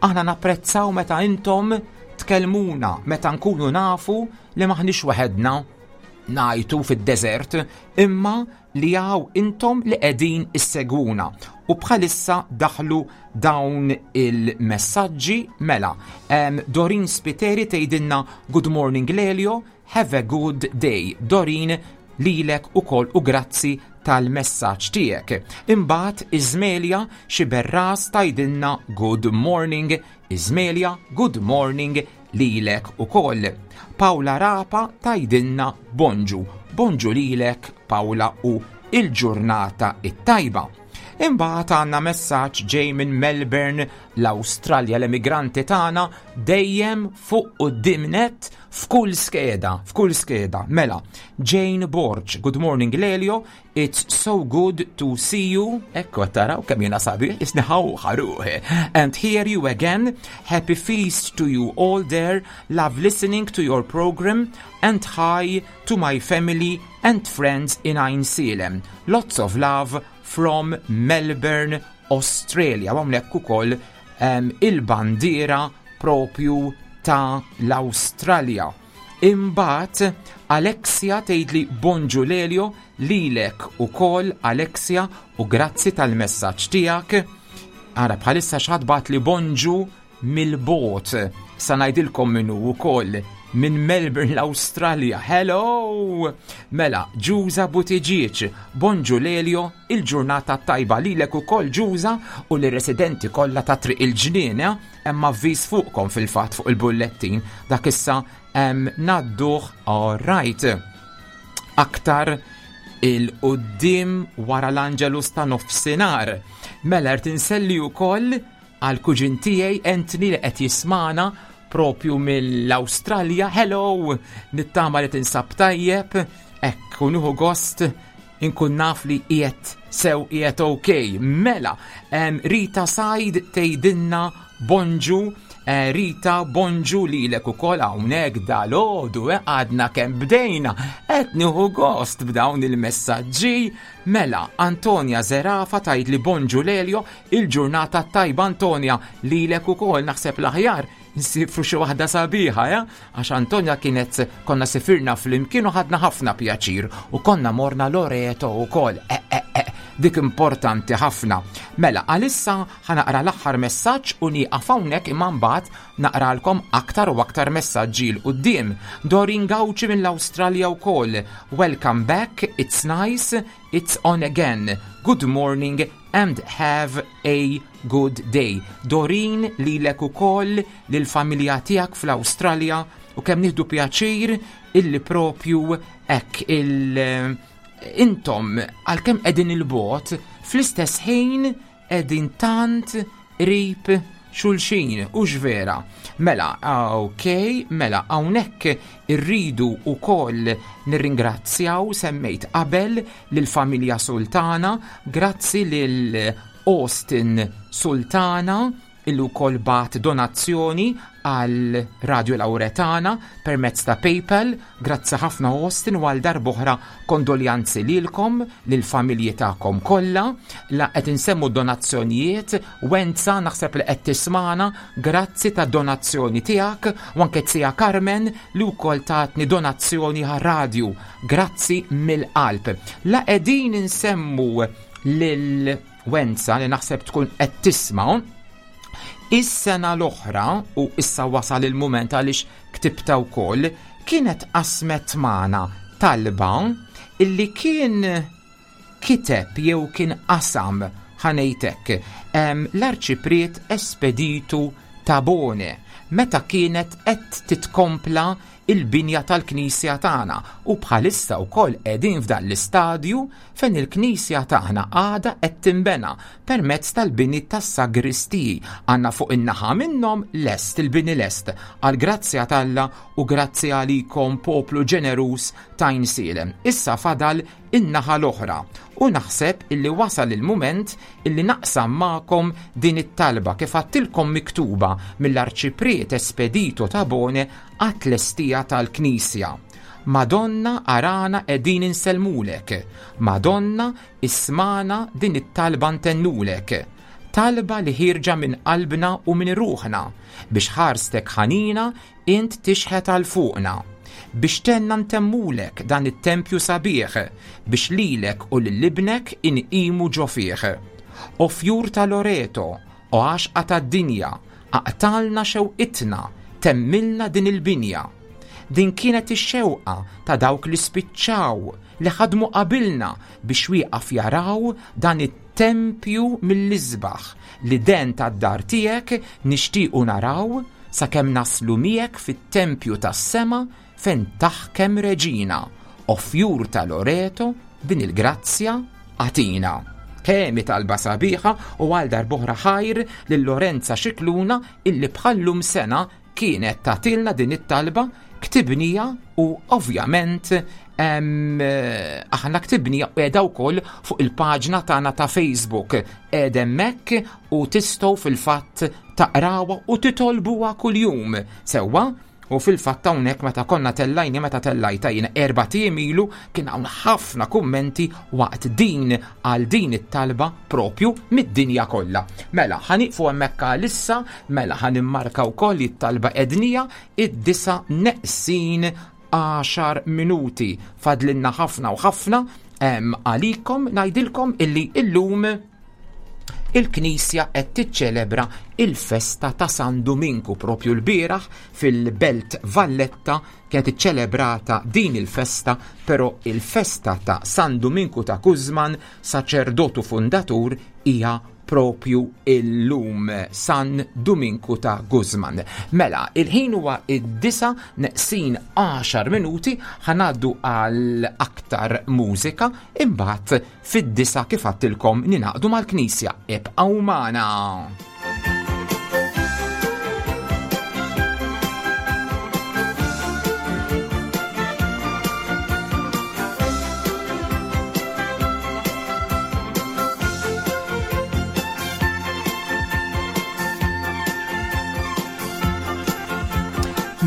Aħna napprezzaw meta intom tkellmuna, meta nkunu nafu li maħniex waħedna ngħajtu fid-deżert, imma li hawn intom li qegħdin issegwuna. U bħalissa daħlu dawn il-messaġġi, mela. Um, Dorin Spiteri tgħidilna "Good morning Lelio, have a good day." Dorin, lilek ukoll u grazzi tal-messaġġ tiegħek. Imbagħad Iżmelja Xiberras tgħidilna good morning, Iżmelja good morning lilek ukoll. Paula Rapa tgħidilna bonġu, bonġu lilek Paula u il-ġurnata it-tajba. Imbagħad għandna messaġġ ġej minn Melbourne, l-Awstralja, l-emigranti tagħna dejjem fuq quddiem nett f'kull skeda, f'kull skeda. Mela, Jane Borg, good morning Lelio, it's so good to see you. Ekku taraw kemm jiena sabiħ, isni ħaruħ. And hear you again. Happy feast to you all there. Love listening to your program and hi to my family and friends in Għajnsielem. Lots of love from Melbourne, Australia. Hawnhekk ukoll um, il-bandiera propju ta' l-Australia. Imbagħad Alexia tgħidli bonġu Lelio, lilek ukoll Alexia u grazzi tal-messaġġ tiegħek. Ara bħalissa xi ħadd bagħatli bonġu mill-bogħod. Sa ngħidilkom minnu ukoll minn Melbourne l-Australia. Hello! Mela, Ġuża Buttigieg, bonġu Lelio, il-ġurnata tajba lilek ukoll Ġuża u l-residenti kollha ta' Triq il-Ġnien, eh? Hemm avviż fuqkom fil-fatt fuq il-bullettin, dak issa ngħadduh all right. Aktar 'il quddiem wara l-Angelus ta' nofsinhar. Mela rrid inselli wkoll għal kuġin tiegħi Anthony li qed jismana propju mill-Awstralja. Hello! Nittama li tinsab tajjeb, ekk, u nieħu gost inkun naf li qiegħed sew, qiegħed ok. Mela, em, Rita Said tgħidilna bonġu, eh, Rita bonġu lilek ukoll hawnhekk dalgħodu, eh, għadna kemm bdejna, qed nieħu gost b'dawn il-messaġġi. Mela, Antonia Zerafa tgħidli bonġu Lelio, il-ġurnata tajba Antonia, lilek ukoll naħseb l-aħjar nsifru xi waħda sabiħa, ja? Għax Antonia kienet konna sifirna flimkien u ħadna ħafna pjaċir u konna morna Loreto ukoll. E, e, e, dik importanti ħafna. Mela, għalissa ħa naqra l-aħħar messaġġ u nieqaf hawnhekk imma mbagħad naqralkom aktar u aktar messaġġi 'l quddiem. Dorin Gauci mill-Awstralja wkoll. Welcome back, it's nice, it's on again. Good morning and have a good day. Dorin lilek ukoll lill-familja tiegħek fl-Awstralja u kemm nieħdu pjaċir illi propju hekk il- intom għalkemm qegħdin il-bogħod fl-istess ħin qegħdin tant qrib xulxin, u vera. Mela, ok, mela, hawnhekk irridu ukoll nirringrazzjaw, semmejt qabel lill-familja Sultana, grazzi lil Austin Sultana illu wkoll bagħat donazzjoni għal Radio Lauretana permezz ta' PayPal. Grazzi ħafna Austin u għal darb'oħra kondoljanzi lilkom, lil-familji tagħkom kollha. La qed insemmu donazzjonijiet, Wenza naħseb li qed tismana, grazzi ta' donazzjoni tiegħek u anke zija Carmen li wkoll tatni donazzjoni għar-radju. Grazzi mill-qalb. La qegħdin insemmu lil Wenza li naħseb tkun qed tisma' is-sena l-oħra u issa wasal il-mument għaliex ktibta wkoll kienet qasmet magħna talba illi kien kiteb jew kien qasam ħa ngħidlek l-arċipriet Espeditu Tabone meta kienet qed titkompla il-binja tal-Knisja tagħna u bħalissa wkoll qegħdin f'dan l-istadju fejn il-Knisja tagħna għadha qed tinbena permezz tal-bini tas-sagristiji. Għandna fuq in-naħa minnhom lest il-bini lest għal grazzja t'Alla u grazzi għalikom poplu ġenerus ta' Għajnsielem. Issa fadal in-naħa l-oħra u naħseb illi wasal il-mument illi naqsam magħkom din it-talba kif għedtilkom miktuba mill-arċipriet Espedito Tabone għat-tlestija tal-Knisja. Madonna arana qegħdin insellmulek, Madonna ismagħna din it-talba ntennulek, talba li ħierġa minn qalbna u minn ruħna, biex ħarstek ħanina int tixħet għal fuqna, biex tgħinna ntemmulek dan it-tempju sabiħ, biex lilek u lil ibnek inqimu ġo fih. O fjur ta' Loreto, o għaxqa tad-dinja, aqtalna xewqitna, temmilna din il-binja. Din kienet ix-xewqa ta' dawk li spiċċaw, li ħadmu qabilna biex wieqaf jaraw dan it-tempju mill-isbaħ li den tad-dar tiegħek nixtiequ naraw sakemm naslu miegħek fit-tempju tas-sema fejn taħkem reġina. O fjur ta' Loreto, din il-grazzja għatina. Kemm talba sabiħa, u għal darb'oħra ħajr lil Lorenza Xikluna illi bħallum sena kienet tatilna din it-talba, ktibnija u ovvjament em, aħna ktibnija u qiegħda wkoll fuq il-paġna tagħna ta' Facebook. Qiegħda hemmhekk u tistgħu fil-fatt taqrawha u titolbuha kuljum. Sewwa? U fil-fatt hawnhekk meta konna tellajni, meta tellajta jiena erba' ijiem ilu, kien hawn ħafna kummenti waqt din għal din it-talba propju mid-dinja kollha. Mela, ħa nieqfu hemmhekk għalissa, mela ħa nimmarka wkoll it-talba ednija id-disa neqsin għaxar minuti. Fadlinna ħafna u ħafna, em, għalikom ngħidilkom illi illum il-Knisja qed tiċċelebra il-festa ta' San Duminku. Propju l-bieraħ fil-Belt Valletta kienet iċċelebrata din il-festa, però il-festa ta' San Duminku ta' Guzman, saċerdotu fundatur, hija propju illum, San Duminku ta' Guzman. Mela, il-ħin huwa id-disa neqsin għaxar minuti, ħa ngħaddu għal aktar mużika, imbagħad fid-disa kif għedtilkom ningħaqdu mal-Knisja. Ibqgħu magħna.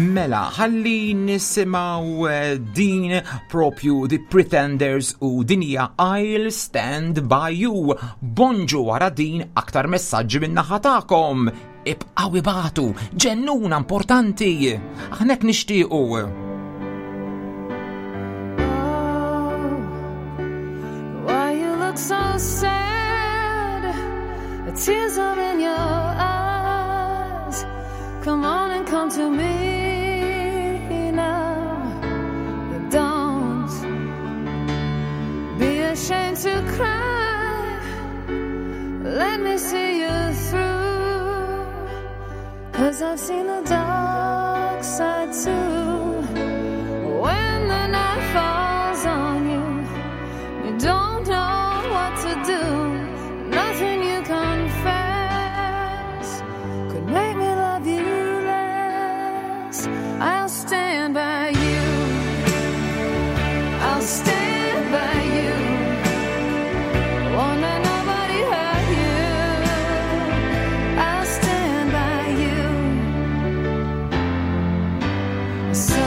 Mela, ħalli nisimgħu, eh, din propju The Pretenders u din hija I'll Stand By You. Bonġu, wara din aktar messaġġi minn naħa tagħkom. Ibqgħu ibagħtu, ġennuna importanti. Aħna hekk nixtiequ. Why you look so sad? The tears are in your eyes. Come on and come to me now. Don't be ashamed to cry. Let me see you through, 'cause I've seen the dark side too. When the night falls on you, you don't know what to do. Nothing you confess could make me love you less. I'll stand by you. I'll stand by you. Won't let nobody hurt you. I'll stand by you. So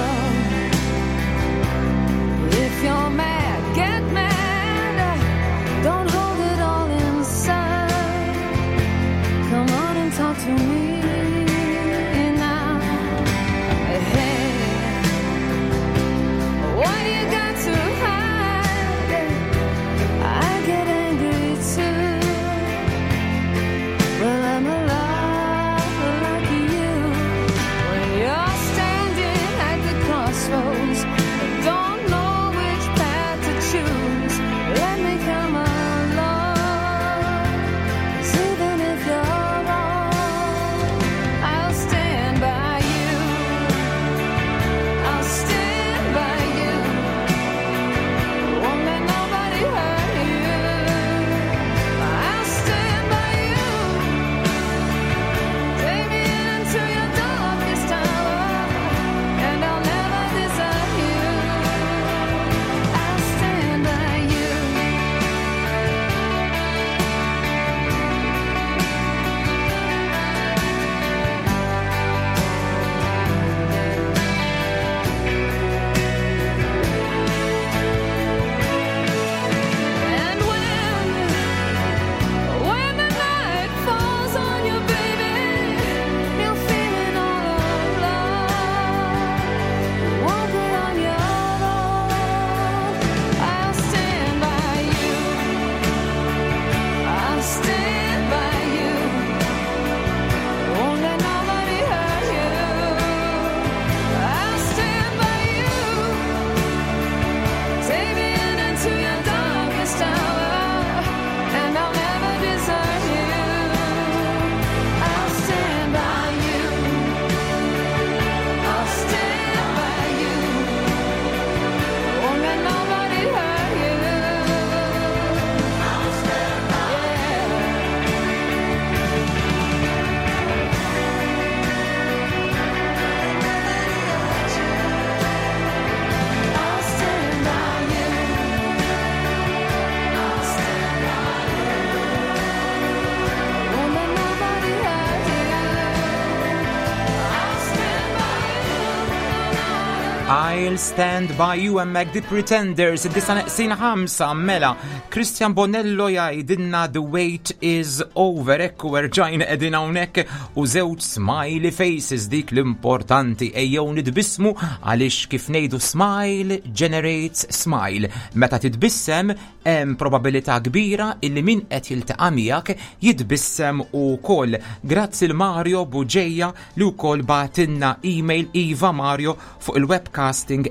I'll Stand By You hemmhekk The Pretenders, id-disgħa neqsin ħamsa, mela. Christian Bonello jgħidilna "The wait is over", ekku erġajna qegħdin hawnhekk u żewġ smiley faces, dik l-importanti, ejjew nitbissmu għaliex kif ngħidu, smile generates smile. Meta titbissem hemm probabilità kbira illi min qed jiltaqa' miegħek jitbissem ukoll. Grazzi lil Mario Buġeja li wkoll bagħtilna email. Iva Mario, fuq il-webcasting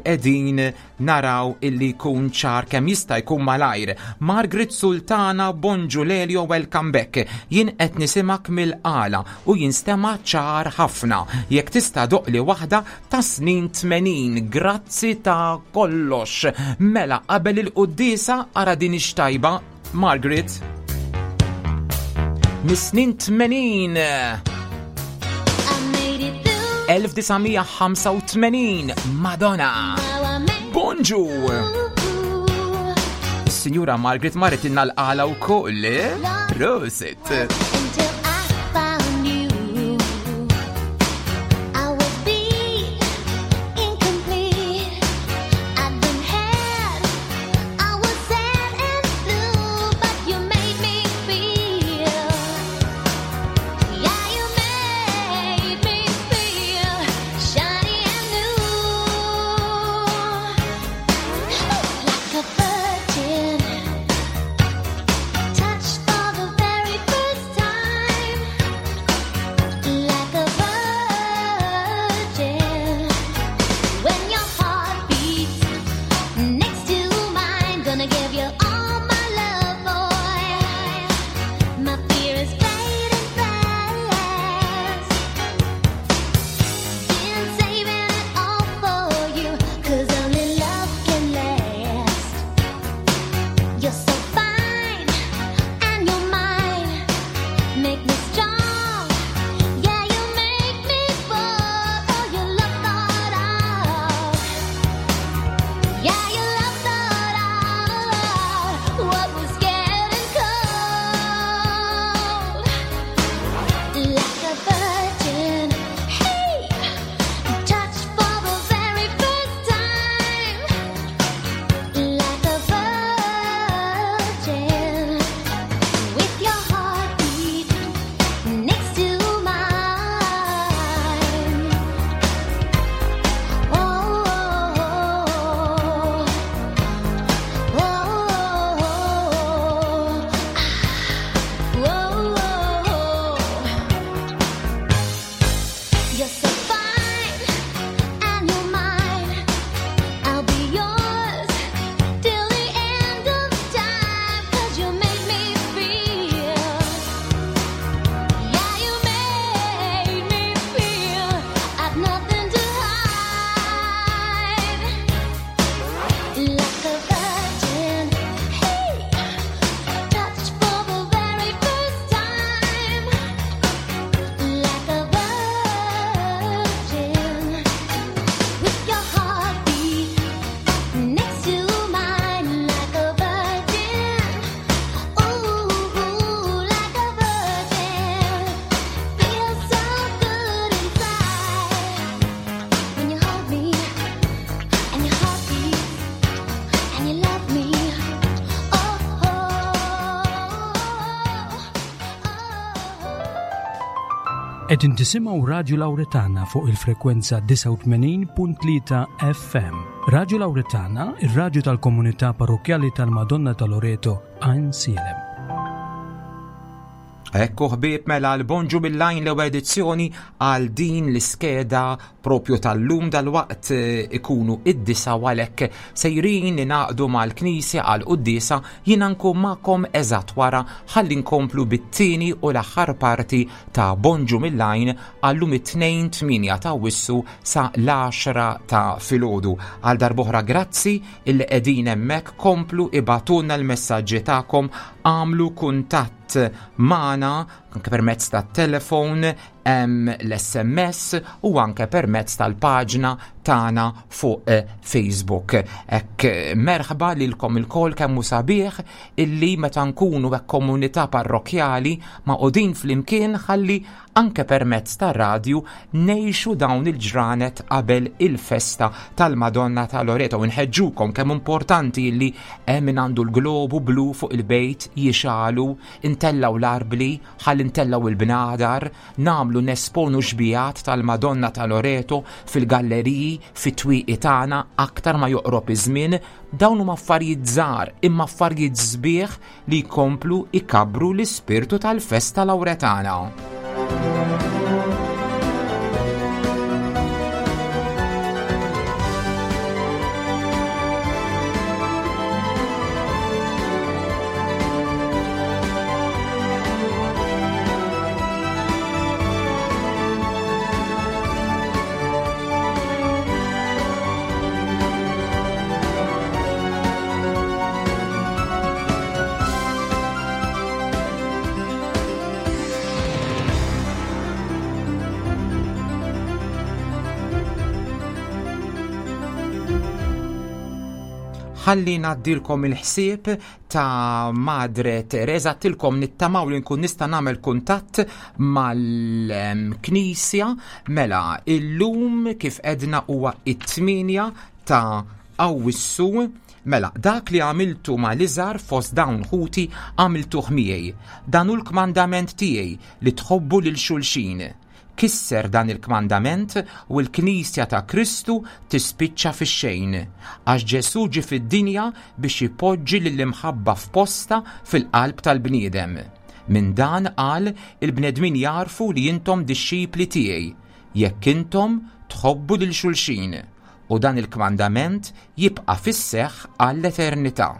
qegħdin naraw illi jkun ċar kemm jista' jkun malajr. Margaret Sultana, bonġu Lelio, welcome back. Jien qed nisimak mill-qala u jinstema ċar ħafna. Jekk tista' doqqli waħda ta' snin tmenin, grazzi ta' kollox. Mela qabel il-quddiesa ara din ix-tajba, Margaret. Mis-snin tmenin. elf disa' mija ħamsa u tmenin, Madonna. Bonġu! Signora Margaret marret inna l-qala u koll, eh? Prosit! Until I found you, I was beat, incomplete. I'd been had, I was sad and blue, but you made me feel. Yeah, you made me feel shiny and new, like a virgin touched for the very first time, like a virgin. When your heart beats next to mine, gonna give you all my love, boy. My fear is fading fast. Been saving it all for you, 'cause only love can last. You're so fine, and you're mine. Make me strong, yeah, you make me bold. Oh, you love thought out, yeah, you love thought out what was getting cold. Like a virgin, hey, touched for the very first time. Like a virgin, with your heartbeat next to mine. Oh, oh, oh, oh, oh. You're so fine, and you're mine. I'll be yours till the end of time, 'cause you made me feel. Yeah, you made me feel I've nothing to hide. Like a virgin, hey, touched for the very first time. Like a virgin, with your heartbeat next to mine, like a virgin. Ooh, like a virgin, feels so good inside when you hold me and your heart beats and you love me. Oh, oh, oh. Qegħdin tisimgħu Radju Lauretana fuq il-frekwenza disgħa u tmenin punt tlieta F M. Radju Lauretana, ir-radju tal-komunità parrokjali tal-Madonna ta' Loreto, Għajnsielem. Ekku ħbieb, mela l-Bonġu mill-Għajn, l edizzjoni għal din l-iskeda propju tal-lum. Dal-waqt eh, ikunu id-disgħa u għalhekk sejrin ningħaqdu mal-knisja għal quddiesa. Jiena nkun magħkom eżatt wara ħalli nkomplu bit-tieni u l-aħħar parti ta' Bonġu mill-Għajn għallum it-tnejn tmienja ta' Awwissu sa l-għaxra ta' filgħodu. Għal darb'oħra grazzi illi qegħdin hemmhekk, komplu ibagħtulna l-messaġġi tagħkom, għamlu kuntatt magħna. anke permezz tat-telefon, l-S M S u anke permezz tal-paġna tagħna fuq eh, Facebook. Hekk eh, merħba lilkom ilkoll. Kemm hu sabiħ illi meta nkunu hekk komunità parrokjali magħqudin flimkien ħalli anke permezz tar-radju ngħixu dawn il-ġranet qabel il-festa tal-Madonna ta' Loreto. Nħeġġukom, kemm importanti illi hemm min għandu l-globu blu fuq il-bejt jixgħelu, intellgħu l-arbli, ħalli ntellgħu il-bnadar, nagħmlu nesponu xbihat tal-Madonna ta' Loreto fil-galleriji, fit-twieqi tagħna aktar ma joqrob iż-żmien. Dawn huma affarijiet żgħar imma affarijiet sbieħ li jkomplu ikabbru l-ispirtu tal-festa Lawretana. Ħalli ngħaddilkom il-ħsieb ta' Madre Teresa. Għedtilkom nittamaw li nkun nista' nagħmel kuntatt mal-Knisja. Mela, illum kif għedna huwa it-tmienja ta' Awwissu. Mela, "Dak li għamiltu mal-iżgħar fost dawn ħuti għamiltuh miegħi. Dan hu l-kmandament tiegħi, li tħobbu lil xulxin. Kisser dan il-kmandament u l-Knisja ta' Kristu tispiċċa fix-xejn, għax Ġesu ġie fid-dinja biex ipoġġi lill-imħabba f'posta fil-qalb tal-bniedem. Minn dan qal il-bnedmin jarfu li intom dixxipli tiegħi, jekk intom tħobbu lil xulxin, u dan il-kmandament jibqa' fis-seħħ għall-eternità.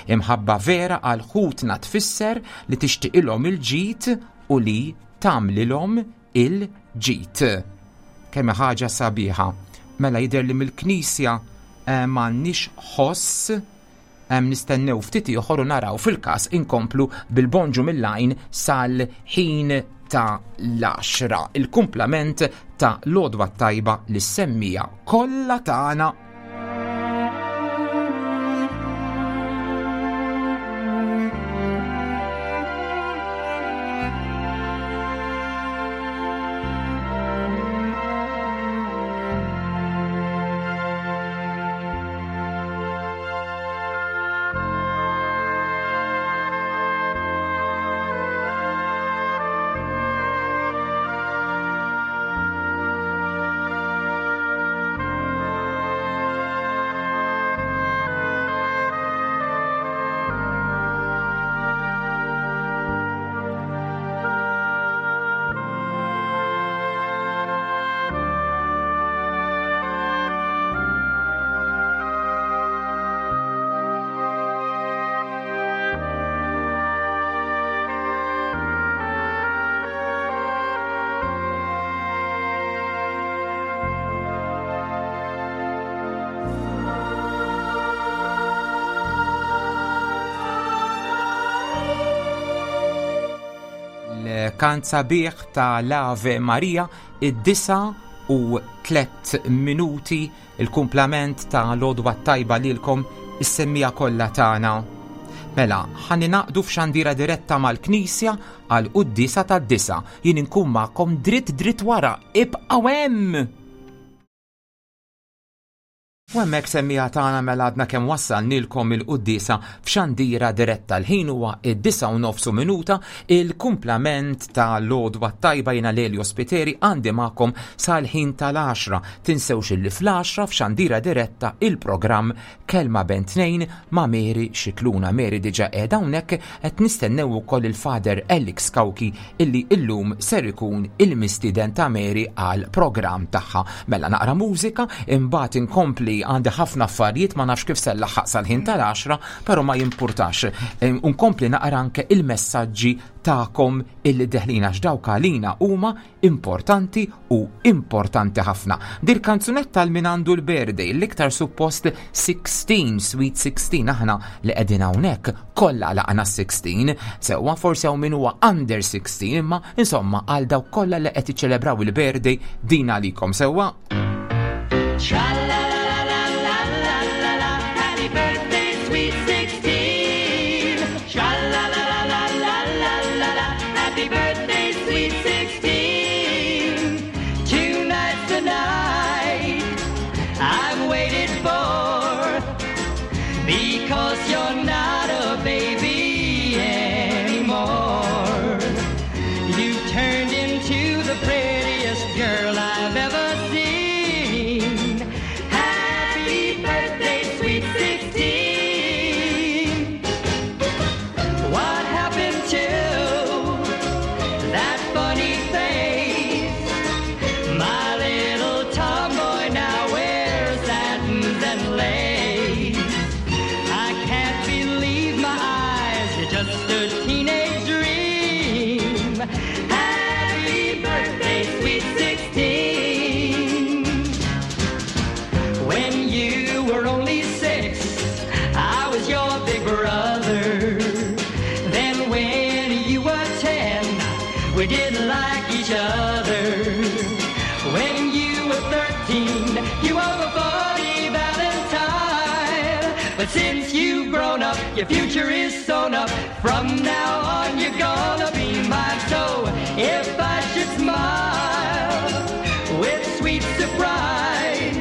Imħabba vera għal ħutna tfisser li tixtiqilhom il-ġid u li tagħmlilhom il-ġid." Kemm ħaġa sabiħa. Mela, jidher li mill-Knisja eh, m'għandniex ħoss em, nistennew ftit ieħor u naraw, fil-każ inkomplu bil-Bonġu mill-Għajn sal-ħin ta' l-għaxra. Il-kumplament ta' l-għodwa tajba lis-semmiegħa kollha tagħna. Kant sabiħ ta' l-Ave Maria, id-disgħa u tlet minuti, il-kumplament ta' l-għodwa tajba lilkom is-semmiegħa kollha tagħna. Mela, ħa ningħaqdu f'xandira diretta mal-Knisja għal quddiesa tad-disgħa. Jien inkun magħkom dritt dritt wara. Ibqgħu hemm! U hemmhekk, semmiegħa tagħna, mela għadna kemm wassalnilkom il-quddiesa f'xandira diretta. L-ħin huwa id-disgħa u nofsu minuta, il-kumplament ta' l-għodwa tajba. Jiena Lelio Spiteri, għandi magħkom sal-ħin tal-għaxra. Tinsewx illi fl-għaxra f'xandira diretta il-programm Kelma Bejn Tnejn ma' Mary Xikluna. Mary diġà qiegħda hawnhekk, qed nistennew ukoll il-Father Alex Kauki illi illum ser ikun il-mistieden ta' Mary għal programm tagħha. Mela, naqra mużika, imbagħad inkompli illi għandi ħafna affarijiet, ma nafx kif se nlaħħaq sal-ħin tal-għaxra, però ma jimpurtax. Unkompli naqra anke il-messaġġi tagħkom illi deħlin, għax dawk għalina huma importanti u importanti ħafna. Dil kanzunetta għal min għandu l-birthday, l-iktar suppost sittax, sweet sittax, aħna li qegħdin hawnhekk kollha lħaqna sittax, sewwa, forsi hawn min huwa under sittax, imma insomma għal dawk kollha li qed iċċelebraw il-birthday, din għalikom, sewwa. Tra-la-la-la-la-la-la-la, happy birthday, sweet sixteen. Tra-la-la-la-la-la-la-la, happy birthday, sweet sixteen. Tonight's the night I've waited for, because you're not a baby anymore. You've turned into the prettiest girl I've ever seen. Happy birthday, sweet sixteen. What happened to that funny face? My little tomboy now wears satins and lace. I can't believe my eyes. You're just a teenage dream. Happy birthday, sweet sixteen. When you were only six, I was your big brother. Then when you were ten, we didn't like each other. When you were thirteen, you were a funny Valentine. But since you've grown up, your future is sewn up. From now on, you're gonna be mine. So if I should smile with sweet surprise,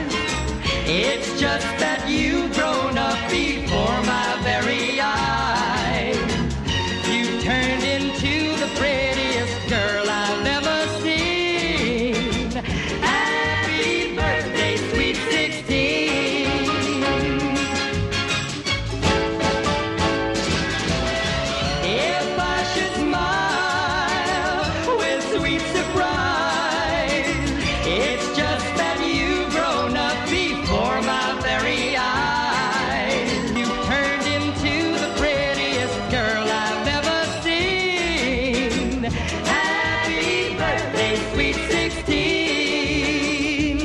it's just that you've grown up before my very eyes. You've turned into the prettiest girl I've ever seen. Happy birthday, sweet sixteen. If I should smile with sweet surprise, it's just that you've grown up before my very eyes. You've turned into the prettiest girl I've ever seen. Happy birthday, sweet sixteen.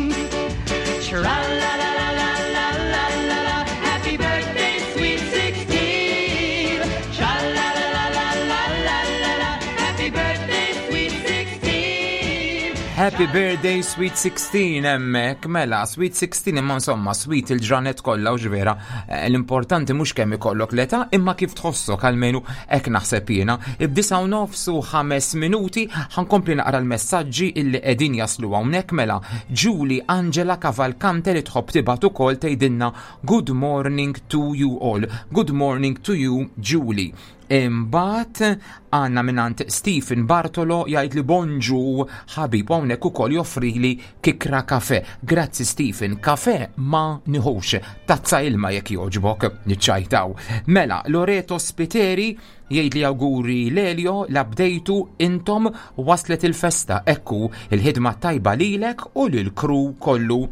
Tra-la-la-la-la-la-la-la. Happy birthday, sweet sixteen. Tra-la-la-la-la-la-la-la. Happy birthday, sweet sixteen. Happy birthday, sweet sixteen, hemmhekk, mela, sweet sixteen, imma insomma, sweet il-ġranet kollha u ġvera, eh, l-importanti mhux kemm ikollok l-età, imma kif tħossok, almenu hekk naħseb jiena. Id-disgħa u nofs u ħames minuti, ħa nkompli naqra l-messaġġi illi qegħdin jaslu hawnhekk, mela, Julie Angela Cavalcante li tħobb tibgħat ukoll tgħidilna "Good morning to you all". Good morning to you, Julie. Imbagħad għandna mingħand Stephen Bartolo, jgħid li "Bonġu ħabib", hawnhekk ukoll joffrili kikra kafe. Grazzi Stephen, kafe ma nieħux, tazza ilma jekk jogħġbok, niċċajtaw. Mela, Loreto Spiteri jgħid li "Awguri Lelio, labdejtu intom, waslet il-festa, ekku il-ħidma tajba lilek u lil-crew kollu".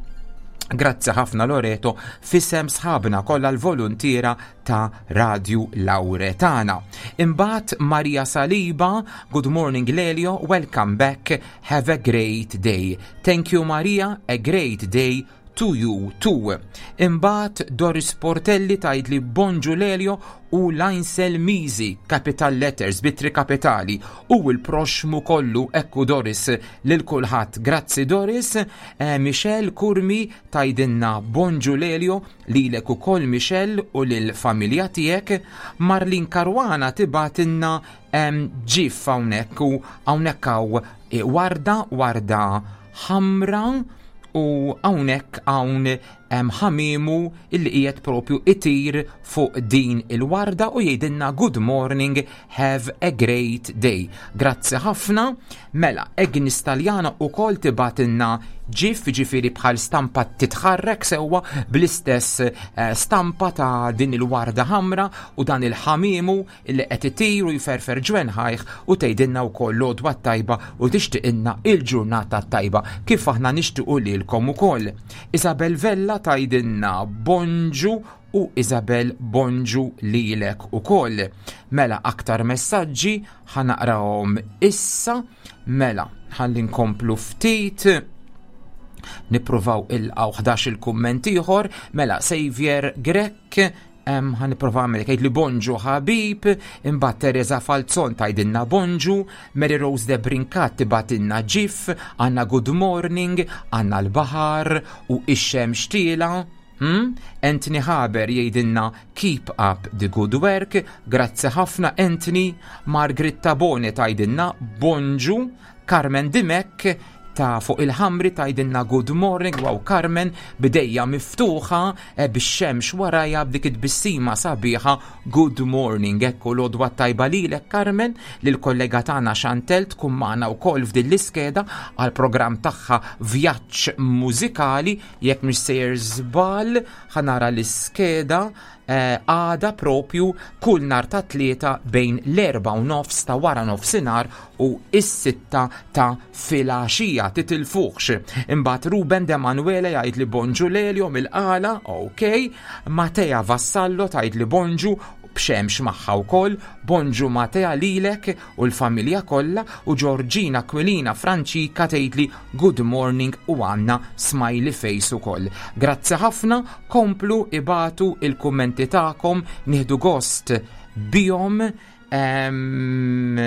Grazzi ħafna Loreto, f'isem sħabna kollha l-voluntiera ta' Radio Lauretana. Imbagħad Maria Saliba, "Good morning Lelio, welcome back, have a great day". Thank you Maria, a great day to you too. Imbagħad Doris Portelli tgħid li "Bonġu Lelio u Lainsel Mizi", capital letters, b'ittri kapitali, u l-proxmu kollu, ekku Doris, lil kulħadd. Grazzi Doris. eh, Michelle Kurmi tgħidilna "Bonġu Lelio", lilek ukoll Michelle u lil familja tiegħek. Marlin Caruana tibgħatilna gif hawnhekk u hawnhekk hawn eh, warda, warda ħamra, u hawnhekk hawn ħamimu illi qiegħed propju itir fuq din il-warda u jgħidilna "Good morning, have a great day". Grazzi ħafna. Mela, Agnes Taljana ukoll tibgħatilna gif, ġifieri bħal stampa titħarrek, sewwa, bl-istess eh, stampa ta' din il-warda ħamra u dan il-ħamimu illi qed itir u jferfer ġwenħajh, u tgħidilna wkoll l-għodwa tajba u tixtieqilna il-ġurnata tajba, kif aħna nixtiequ lilkom ukoll. Isabel Vella tgħidilna bonġu u Isabel bonġu lilek ukoll. Mela aktar messaġġi ħa naqrahom issa, mela ħalli nkomplu ftit. Nippruvaw il-għaw ħdax il-kumment ieħor, mela Xavier Grech, ħa nipprova għamil li bonġu ħabib, imbagħad Teresa Falzon tgħidilna bonġu, Mary Rose de Brincat tibgħatilna ġif, għandna good morning, għandna l-baħar u ix-xemx tiela. Hmm? Anthony Haber jgħidilna keep up the good work, grazzi ħafna Anthony. Margaret Tabone tgħidilna bonġu, Carmen Dimek ta' fuq il-ħamri tgħidilna good morning, wow Carmen, bidejja miftuħa e, bix-xemx warajja b'dik it-tbissima sabiħa, good morning, ekku l-għodwa tajba lilek Carmen, lil kollega tagħna Chantel tkun magħna wkoll f'din l-iskeda għal programm tagħha Vjaġġ Mużikali, jekk mhux sejjer żball ħa nara l-iskeda għada propju kull nar ta' tlieta bejn l-erba u nofs ta' wara nofsinhar u is-sitta ta' filgħaxija, titilfuħx. Imbagħad Ruben De Manuele jgħid li bonġu Lelio mill-Qala, ok. Matea Vassallo tgħid li bonġu b'xemx magħha wkoll, bonġu Matea lilek u l-familja kollha, u Georgina Quilina Franċika tgħid li good morning u għandna smiley face ukoll. Grazzi ħafna, komplu ibagħtu il-kummenti tagħkom, nieħdu gost bihom. Em,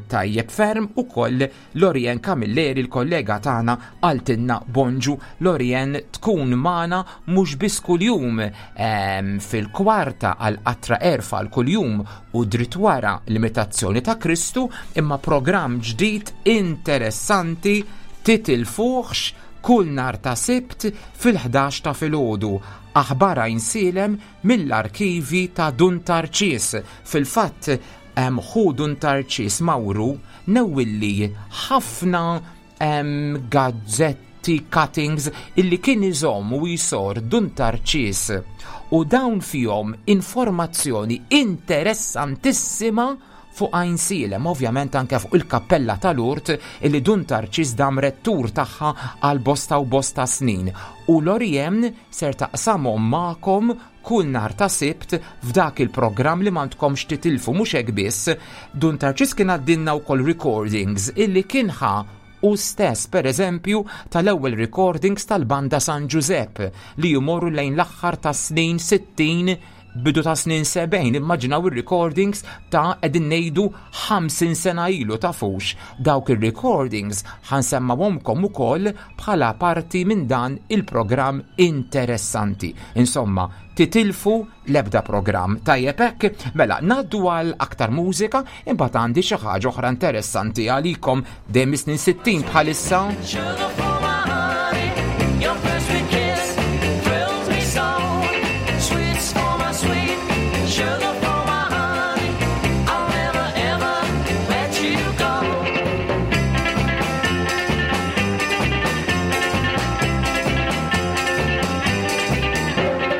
tajjeb ferm u koll Lorien Camilleri, il-kollega tagħna, qaltilna bonġu. Lorien tkun magħna mhux biss kuljum em, fil-kwarta għal qatra erfa għal kuljum u dritt wara l-imitazzjoni ta' Kristu, imma programm ġdid interessanti titilfuħx kull nar ta' Sibt fil-ħdax ta' filgħodu. Aħbar Għajnsielem mill-arkivi ta' Dun Tarċis. Fil-fatt hemm ħu Dun Tarċis Mawru newwilli ħafna em, gazzetti, cuttings illi kien iżomm u jisor Dun Tarċis, u dawn fihom informazzjoni interessantissima fuq Għajnsielem, ovvjament anke fuq il-kappella tal-Urt illi Dun Tarċis dam rettur tagħha għal bosta u bosta snin. U Lorien ser taqsamhom magħkom kull nar ta' Sibt f'dak il-programm li m'għandkomx titilfu. Mhux hekk biss, Dun Tarċis kien għaddinna wkoll recordings illi kien ħa u stess, per eżempju, tal-ewwel recordings tal-Banda San Giuseppe li jmorru lejn l-aħħar ta' snin sittin, bidu ta' snin sebgħin, immaġinaw il-recordings ta' qegħdin ngħidu ħamsin sena ilu, tafux. Dawk il-recordings ħa nsemmawhomlkom ukoll bħala parti minn dan il-programm interessanti. Insomma, titilfu l-ebda programm. Tajjeb hekk, mela ngħaddu għal aktar mużika, imbagħad għandi xi ħaġa oħra interessanti għalikom dejjem snin sittin bħalissa. Sugar for my honey, your first sweet kiss thrills me so. Sweets for my sweet, sugar for my honey, I'll never ever let you go.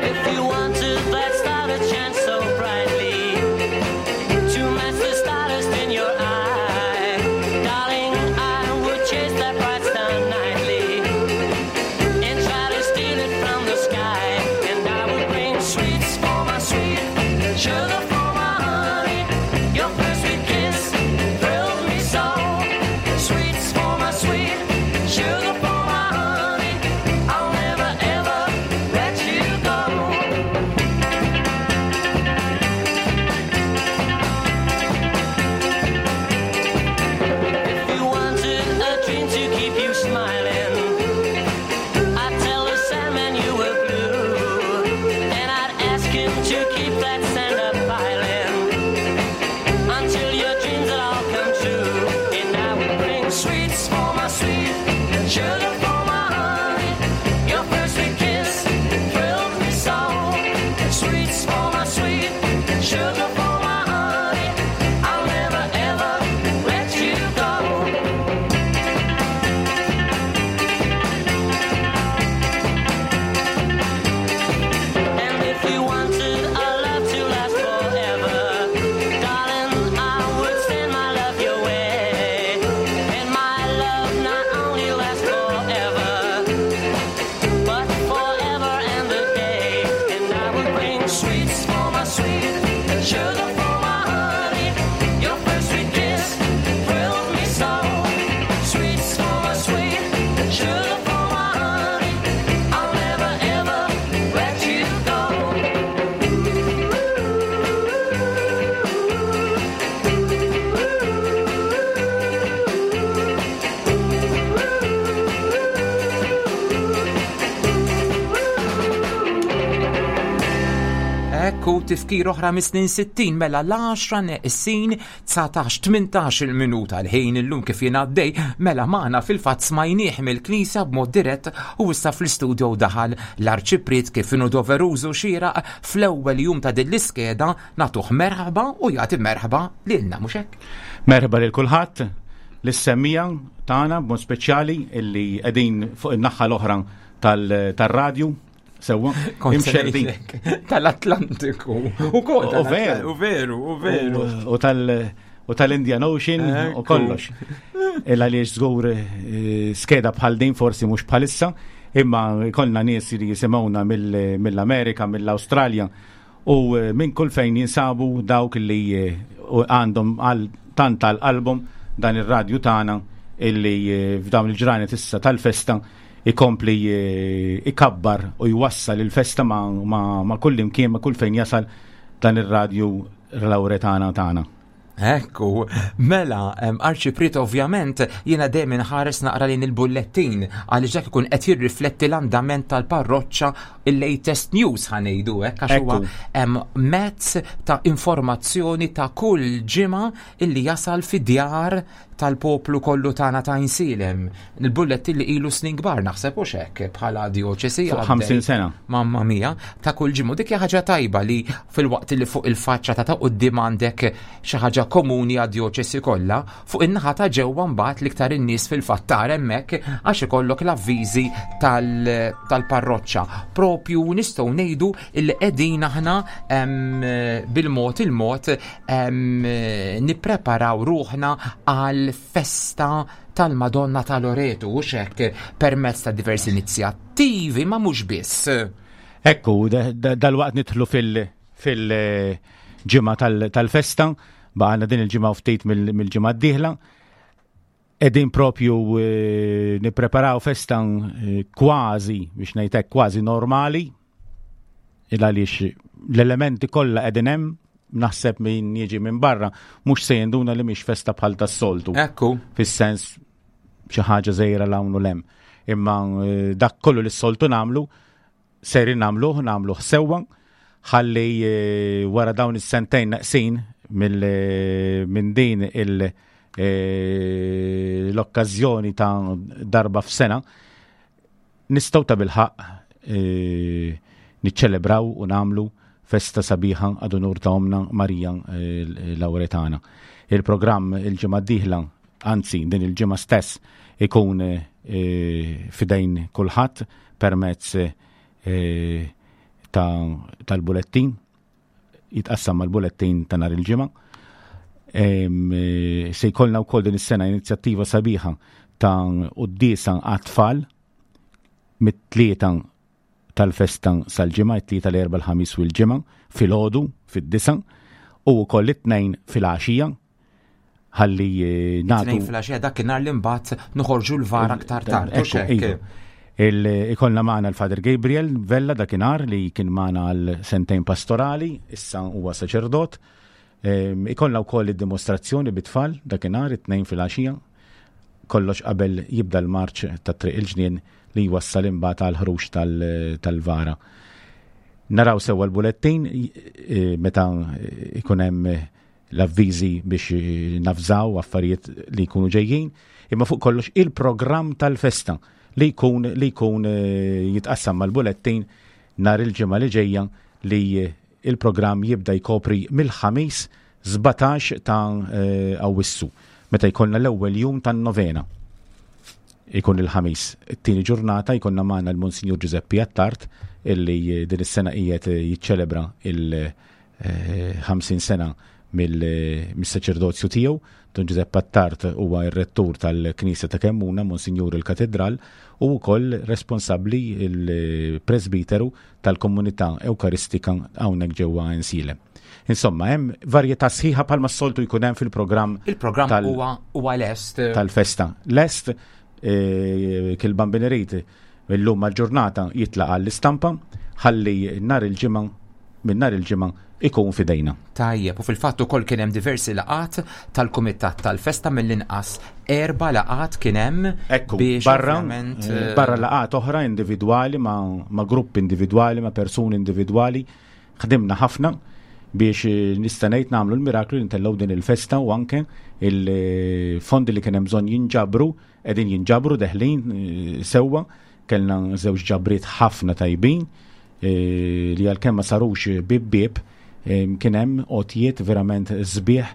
If you wanted that star to shine so brightly, to match the stardust in your eye, darling, I would chase that bright star nightly. Ekku, tifkir oħra mis-snin sittin, mela l-għaxra neqsin dsatax tmintax il-minuta l-ħin illum kif jingħaddej, mela magħna fil-fatt smajnieh mill-knisja b'mod dirett u issa fl-istudio daħal l-Arċipriet kif inhu doverużu xieraq fl-ewwel jum ta' din l-iskeda nagħtuh merħba u jagħti merħba lilna, mhux hekk? Merħba lil kulħadd, lis-semmiegħa tagħna b'mod speċjali illi qegħdin fuq in-naħa l-oħra tal-radju. Sewwa, imxerrdin. Tal-Atlantiku. U kol, U veru. U veru, u veru. U tal- u tal-Indian Ocean u kollox. Illa li żgur eh, skeda bħal din forsi mhux bħalissa, imma kollna nies li jisimgħuna mill-Amerika, mill-Awstralja u eh, minn kull fejn jinsabu dawk li eh, għandhom għal tant għal qalbhom dan ir-radju tagħna illi f'dawn il-ġranet issa tal-festa ikompli ikabbar u jwassal il-festa ma, ma, ma kull imkien, ma kull fejn jasal dan ir-radju Lauretana tagħna. Ekku, mela, Arċipriet, ovvjament, jiena dejjem inħares naqra lejn il-bullettin, għaliex dak ikun qed jirrifletti l-andament tal-parroċċa, il-latest news ħa ngħidu hekk, għax huwa mezz ta' informazzjoni ta' kull ġimgħa illi jasal fi djar tal-poplu kollu tagħna ta' Għajnsielem. Il-bullettin li ilu snin kbar naħseb u hekk bħala dioċesi. Fuq ħamsin sena. Mamma mia, ta' kull ġimgħa. Dik hija ħaġa tajba li fil-waqt li fuq il-faċċata ta' quddiem għandek xi ħaġa komuni għad-dioċesi kollha, fuq in-naħa ta' ġewwa mbagħad l-iktar in-nies fil-fatt tara hemmhekk għax ikollok l-avviżi tal-parroċċa. Propju nistgħu ngħidu li qegħdin aħna bil-mod il-mod nippreparaw ruħna għal festa tal-Madonna ta' Loreto u hekk permezz ta' diversi inizjattivi, ma mhux biss. Ekku, dal-waqt nidħlu fil-ġimgħa tal-festa, baqgħalna din il-ġimgħa u ftit mill-ġimgħa d-dieħla. Qegħdin propju eh, nippreparaw festa eh, kważi, biex ngħidlek kważi normali, il għaliex l-elementi kollha qegħdin hemm, naħseb min jiġi minn barra mhux se jinduna li mhix festa bħal tas-soltu. Ekku. Fis-sens xi ħaġa żgħira 'l hawn u 'l hemm. Imma eh, dak kollu li s-soltu nagħmlu, seri nagħmluh, nagħmluh sewwa, ħalli eh, wara dawn is-sentejn naqsin minn din il- eh, l-okkażjoni ta' darba f'sena nistgħu ta' bilħaqq niċċelebraw u nagħmlu festa sabiħa ad unur ta' Omna Marija Lauretana. Il-programm il-ġimgħa d-dieħla, anzi din il-ġimgħa stess, ikun f'idejn kulħadd permezz tal-bulettin, jitqassam mal-bulettin ta' nhar il-ġimgħa. Se jkollna wkoll din is-sena inizjattiva sabiħa ta' quddiesa għat-tfal mit-tlieta tal-festa sal-ġimgħa, it-tlieta, l-erba', l-ħamis u l-ġimgħa, filgħodu fid-disgħa u wkoll it-tnejn filgħaxija ħalli nagħtu. Tnejn filgħaxija dakinhar li mbagħad noħorġu l-vara aktar tard. Ikollna magħna l-Father Gabriel Vella dakinhar li kien magħna għal sentejn pastorali, issa huwa saċerdot. Ikollna wkoll id-dimostrazzjoni bit-tfal dakinhar it-tnejn filgħaxija, kollox qabel jibda l-marċ ta' Triq il-Ġnien li jwassal imbagħad għal ħruġ tal-vara. Naraw sewwa l-bulettin meta ikun hemm l-avviżi biex navżaw affarijiet li jkunu ġejjin, imma fuq kollox il-programm tal-festa li jkun li jkun jitqassam mal-bulettin nhar il-ġimgħa li ġejja, li il-programm jibda jkopri mill-Ħamis sbatax ta' Awwissu meta jkollna l-ewwel jum tan-novena. Ikun il-Ħamis. It-tieni ġurnata jkollna magħna l-Monsinjur Giuseppe Attard illi din is-sena qiegħed jiċċelebra il-ħamsin sena mill-saċerdozju tiegħu. Don Giuseppe Attard huwa r-rettur tal-Knisja ta' Kemmuna, Monsinjur il-Katedral, u wkoll responsabbli il-presbiteru tal-komunità Ewkaristika hawnhekk ġewwa Għajnsielem. Insomma, hemm varjetà sħiħa bħalma s-soltu jkun hemm fil-programm. Il-programm huwa huwa lest. Tal-festa. Lest, eh, kil Bambin irid illum mal-ġurnata jitlaq għall-istampa ħalli nhar il-ġimgħa, minn nhar il-ġimgħa ikun f'idejna. Tajjeb, u fil-fatt ukoll kien hemm diversi laqat tal-kumitat tal-festa, mill-inqas erba' laqat kien hemm. Ekku, biex barra, ovvjament, eh, barra laqat oħra individwali ma, ma gruppi individwali, ma persuni individwali, Ħdimna ħafna biex eh, nista' ngħid nagħmlu l-miraklu li ntellgħu din il-festa u anke il-fondi li kien hemm bżonn jinġabru qegħdin jinġabru deħlin eh, sewwa. Kellna żewġ ġabriet ħafna tajbin eh, li għalkemm ma sarux bib bib kien hemm għotjiet verament sbieħ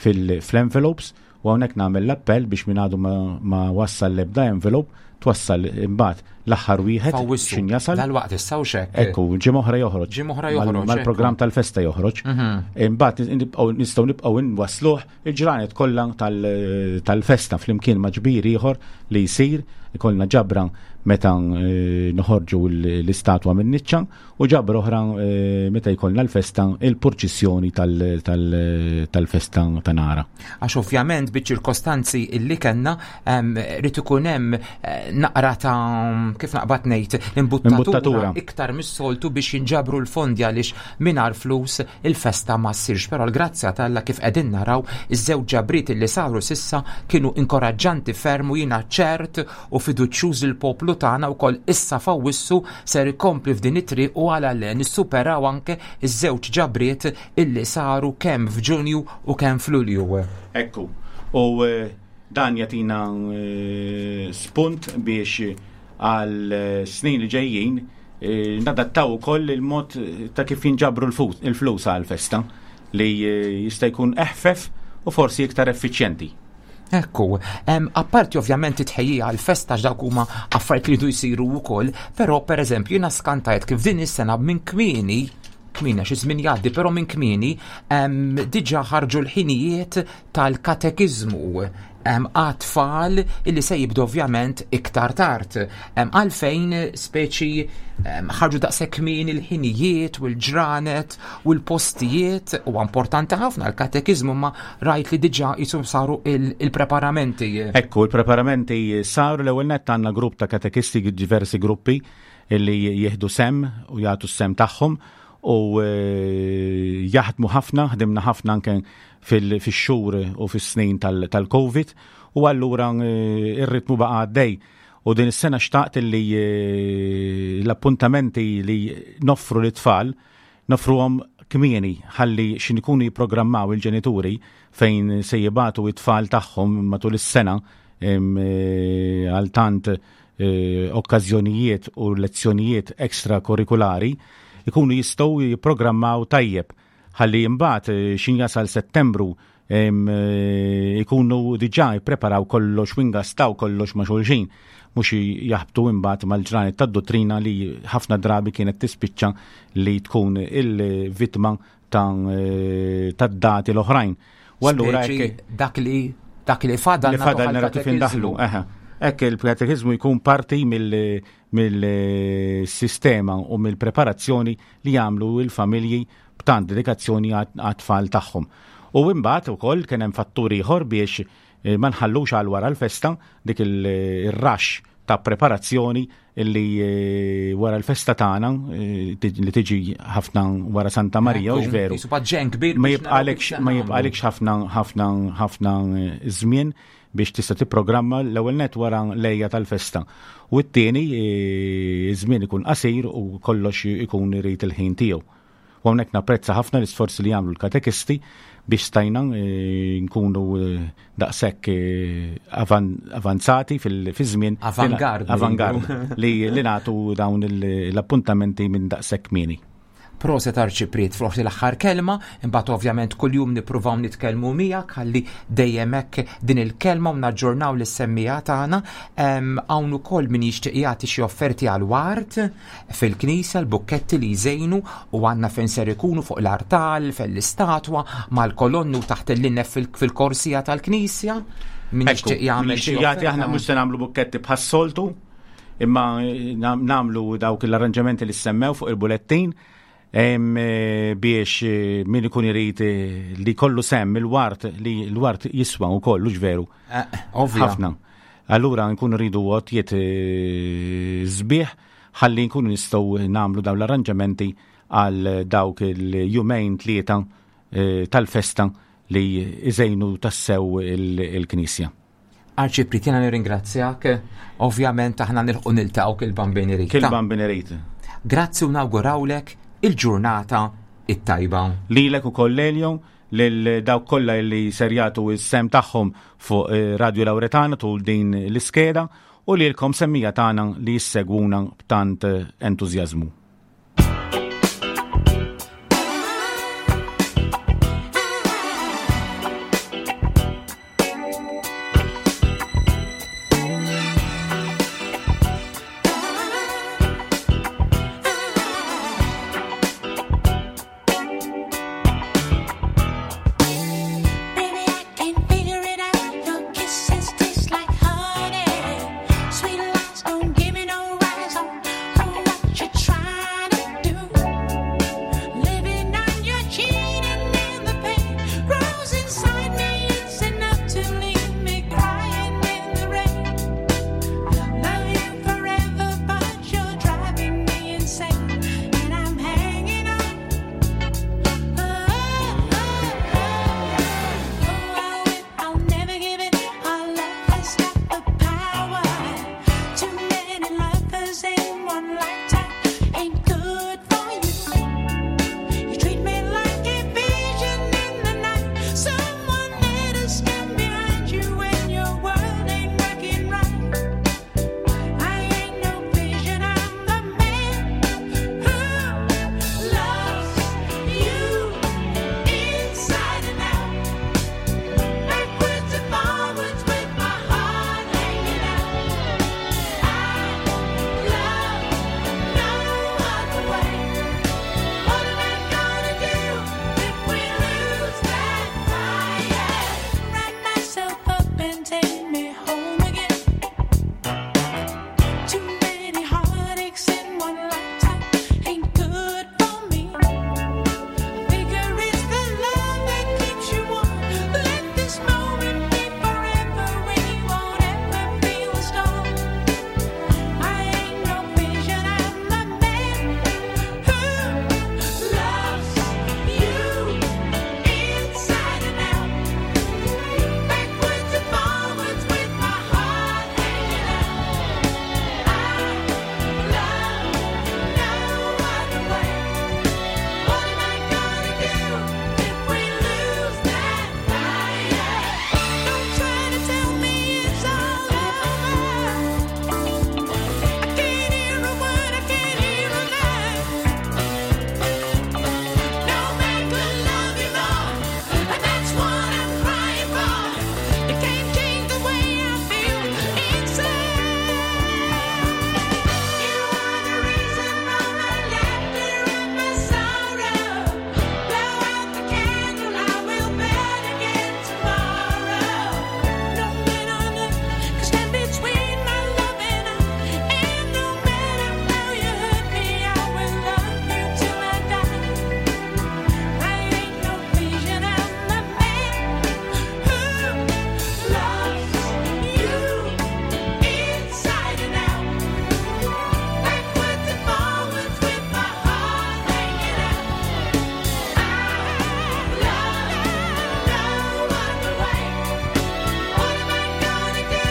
fil-envelopes u hawnhekk nagħmel l-appell biex min għadu ma, ma wassal l-ebda envelope twassal imbagħad l-aħħar wieħed F'Awwissu. xin jasal. Dal-waqt issa u xek. Ekku, ġimgħa oħra joħroġ. Ġimgħa oħra Mal- joħroġ, Mal-programm ekku. tal-festa joħroġ. Mhm. Imbagħad nibqgħu nistgħu nibqgħu nwasluh il-ġranet kollha tal- tal-festa flimkien ma' ġbir ieħor li jsir, ikollna ġabra meta eh, noħorġu l- l-istatwa minn niċċa u ġabra oħra eh, meta jkollna l-festa il-purċissjoni tal- tal- tal-festa ta' nara. Għax ovvjament biċ-ċirkostanzi illi kellna em, rrid ikun hemm eh, naqra ta' kif naqbad ngħid imbuttatura Imbuttatura. iktar mis-soltu biex jinġabru l-fondi għaliex mingħajr flus il-festa ma ssirx. Però l-grazzja t'Alla kif qegħdin naraw iż-żewġ ġabriet illi saru sissa kienu inkoraġġanti ferm u jiena ċert u fiduċjuż il-poplu tagħna wkoll issa f'Awwissu ser ikompli f'din it-triq u għala le nissuperaw anke iż-żewġ ġabriet illi saru kemm f'Ġunju u kemm f'Lulju. Ekku, u eh, dan jagħtina eh, spunt biex għal eh, snin li ġejjin eh, nadattaw ukoll il-mod ta' kif jinġabru l-fu- il-flus għal festa li eh, jista' jkun eħfef u forsi iktar effiċjenti. Ekku, em, apparti ovvjament it-tħejjija għal-festa x'dawk huma affarijiet li jridu jsiru wkoll, però pereżempju jiena skantajt kif din is-sena minn kmieni kmieni għax iż-żmien jgħaddi, però minn kmieni em, diġà ħarġu l-ħinijiet tal-katekiżmu em, għat-tfal illi se jibdu ovvjament iktar tard. Em, Għalfejn speċi em, ħarġu daqshekk kmieni l-ħinijiet u l-ġranet u l-postijiet huwa importanti ħafna l-katekiżmu ma rajt li diġà jisu saru il- il-preparamenti. Ekku, il-preparamenti saru. L-ewwel nett għandna grupp ta' katekisti, diversi gruppi illi jieħdu sem u jagħtu s-sem tagħhom u eh, jaħdmu ħafna, ħdimna ħafna anke fil- fix-xhur u fis-snin tal- tal-Covid u allura eh, ir-ritmu baqa' għaddej. U din is-sena xtaqt li eh, l-appuntamenti li noffru l-tfal noffruhom kmieni ħalli xin ikunu jipprogrammaw il-ġenituri fejn se jibagħtu it-tfal tagħhom matul is-sena em, eh, għal tant eh, okkażjonijiet u lezzjonijiet ekstrakurrikulari ikunu jistgħu jipprogrammaw tajjeb ħalli imbagħad eh, xin jasal Settembru em, eh, ikunu diġà jippreparaw kollox u ingastaw kollox ma' xulxin mhux jaħbtu imbagħad mal-ġranet tad-dottrina li ħafna drabi kienet tispiċċa li tkun il-vittma ta' eh, tad-dati l-oħrajn. U allura Speċi hekk dak li dak li fadal li fadal nara kif indaħlu. Eħe. Hekk il-katekiżmu jkun parti mill- mill-sistema u mill-preparazzjoni li jagħmlu il-familji b'tant dedikazzjoni għat-tfal tagħhom. U imbagħad ukoll kien hemm fattur ieħor biex eh, ma nħallux għal wara l-festa dik il-rush ta' preparazzjoni illi eh, wara l-festa tagħna eh, li tiġi ħafna wara Santa Marija, u veru. Jisu ġen kbir Ma biex naraw kif jibqalekx se ma nagħmlu. jibqalekx ħafna ħafna ħafna eh, żmien biex tista' tipprogramma l-ewwel net wara lejja tal-festa. U t-tieni eh, żmien ikun qasir u kollox ikun irid il-ħin tiegħu. U hawnhekk napprezza ħafna l-isforzi li jagħmlu l-katekisti biex stajna eh, nkunu eh, daqshekk eh, avan- avanzati fil-żmien. Avangard, Avangard ngħidu. li li nagħtu dawn il- l-appuntamenti minn daqshekk kmieni. Proset Arċipriet forsi l-aħħar kelma, imbagħad ovvjament kuljum nippruvaw nitkellmu miegħek ħalli dejjem hekk din il-kelma u naġġornaw lis-semmiegħa tagħna. Em, Hawn ukoll min jixtieq jagħti xi offerti għal ward fil-knisja, l-bukketti li jżejnu u għandna fejn ser ikunu fuq l-artal, fell-istatwa, mal-kolonni u taħt il-linnef fil- fil-korsija tal-knisja. Min Ekku, jixtieq jagħmel min xi jixtieq jagħti, aħna offerta. mhux se nagħmlu bukketti bħas-soltu, imma eh, nam- nagħmlu dawk l-arranġamenti li semmew fuq il-bulettin em, eh, biex eh, min ikun irid eh, li kollu sem il-wart li l-wart jiswa wkoll hux veru. Eh, ovvja. Ħafna. Allura nkunu rridu għotjiet eh, sbieħ ħalli nkunu nistgħu nagħmlu dawn l-arranġamenti għal dawk il-jumejn tlieta eh, tal-festa li iżejnu tassew il- il-knisja. Arċipriet, jiena nirringrazzjak. Ovvjament aħna nilħqu niltaqgħu kil-Bambin irid. Kil-Bambin irid. Grazzi u nawgurawlek il-ġurnata it-tajba. Lilek ukoll Lelio, lil dawk kollha li ser jagħtu s-sehem tagħhom fuq eh, Radio Lauretana tul din l-iskeda u lilkom semmiegħa tagħna li ssegwuna b'tant eh, entużjażmu. Baby, I can't figure it out. Your kisses taste like honey. Sweet lies don't give me no rise on what you're trying to do. Living on your cheating and the pain grows inside me. It's enough to leave me crying in the rain. Love you forever, but you're driving me insane, and I'm hanging on. Oh, oh, oh. I'll never give it. Our love has got the power. Too many lovers in one lifetime ain't good for you. You treat me like a vision in the night. Someone let us stand behind you when your world ain't working right. I ain't no vision. I'm the man who loves you inside and out. Backwards and forwards with my heart hanging out. I love no other way. What am I gonna do if we lose that fire? Wrap myself up and take me home again. Too many heartaches in one lifetime ain't good for me. Figure it's the love that keeps you warm. Let this moment be forever. We won't ever feel a storm. I ain't no vision. I'm the man who loves you inside and out, backwards and forwards with my heart hanging out. I love no other way. What am I gonna do if we lose that fire? Don't try to tell me it's all over. I can't hear a word, I can't hear a lie. No man could love you more, and that's what I'm crying for. You can't change the way I feel inside. You are the reason for my laughter and my sorrow. Blow out the candle, I will burn again tomorrow. No man on earth can stand between my love and I. And no matter how you hurt me, I will love you till I die. I ain't no vision, I'm the man who loves you inside and out, backwards and forwards with my heart hanging out. I love no other way. What am I gonna do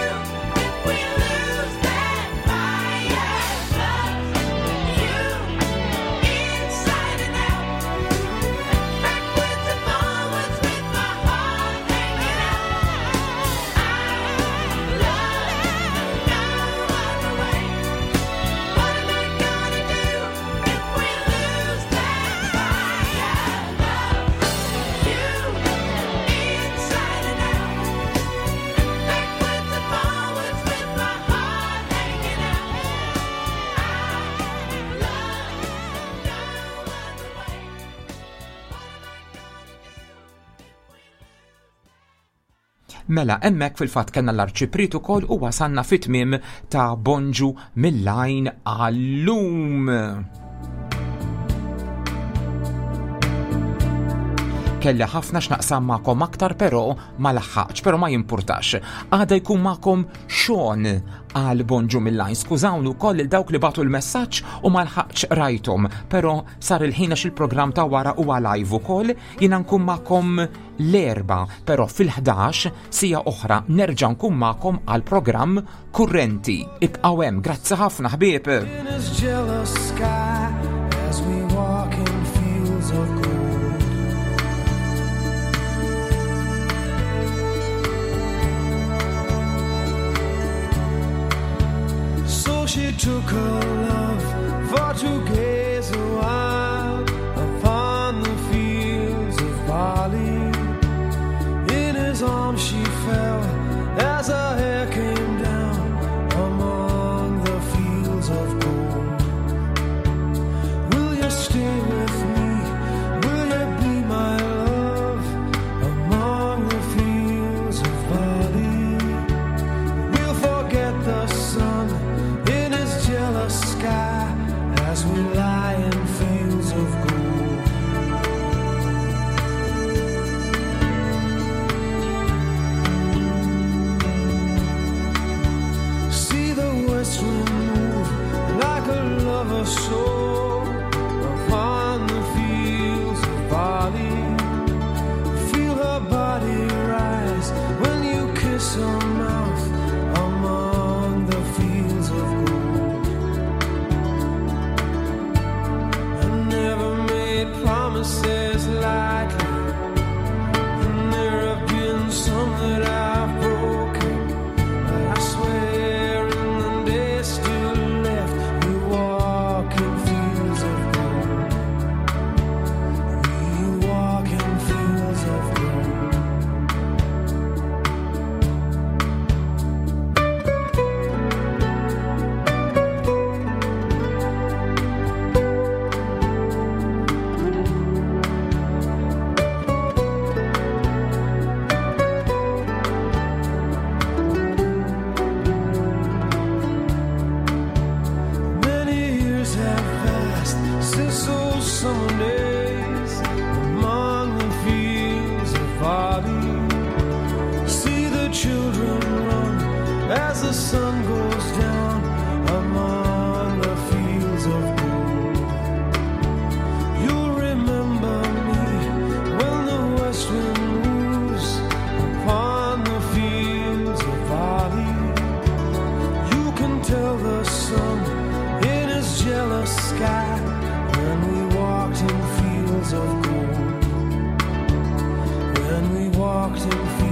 if we lose that fire? Love you inside and out, backwards and forwards with my heart hanging out. I love no other way. What am I gonna do if we lose that fire? Love you inside and out, backwards and forwards with my heart hanging out. I love no other way. Mela, hemmhekk fil-fatt kellna l-arċipriet ukoll u wasalna fit-tmiem ta' Bonġu mill-Għajn għallum. Kelli ħafna x'naqsam magħkom aktar però ma laħħaqx, però ma jimpurtax. Għada jkun magħkom Sean għal Bonġu mill-Għajn. Skużawni wkoll lil dawk li bagħtu l-messaġġ u ma lħaqx rajthom, però sar il-ħin għax il-programm ta' wara huwa live ukoll, jiena nkun magħkom l-Erbgħa, però fil-ħdax siegħa oħra nerġa' nkun magħkom għal programm kurrenti. Ibqgħu hemm, grazzi ħafna ħbieb. In his jealous sky as we walk in fields of gold. she took her love for to gaze a while upon the fields of barley. In his arms she fell as her hair came down among the fields of gold. Will you stay with me? Will you be my love among the fields of barley? We'll forget the sun in his jealous sky as we lie in fields of gold. See the west wind move like a lover's soul upon the fields of barley. Feel her body rise when you kiss her mouth among the fields of gold. I never made promises lightly, and there have been some that I've broken. But I swear in the days still left, we walk in fields of gold. We walk in fields of gold. Many years have passed since those summer days among the fields of barley. See the children run as the sun goes down among the fields of gold. You'll remember me when the west wind moves upon the fields of barley. You can tell the sun in his jealous sky when we walked in fields of gold. When we walked in fields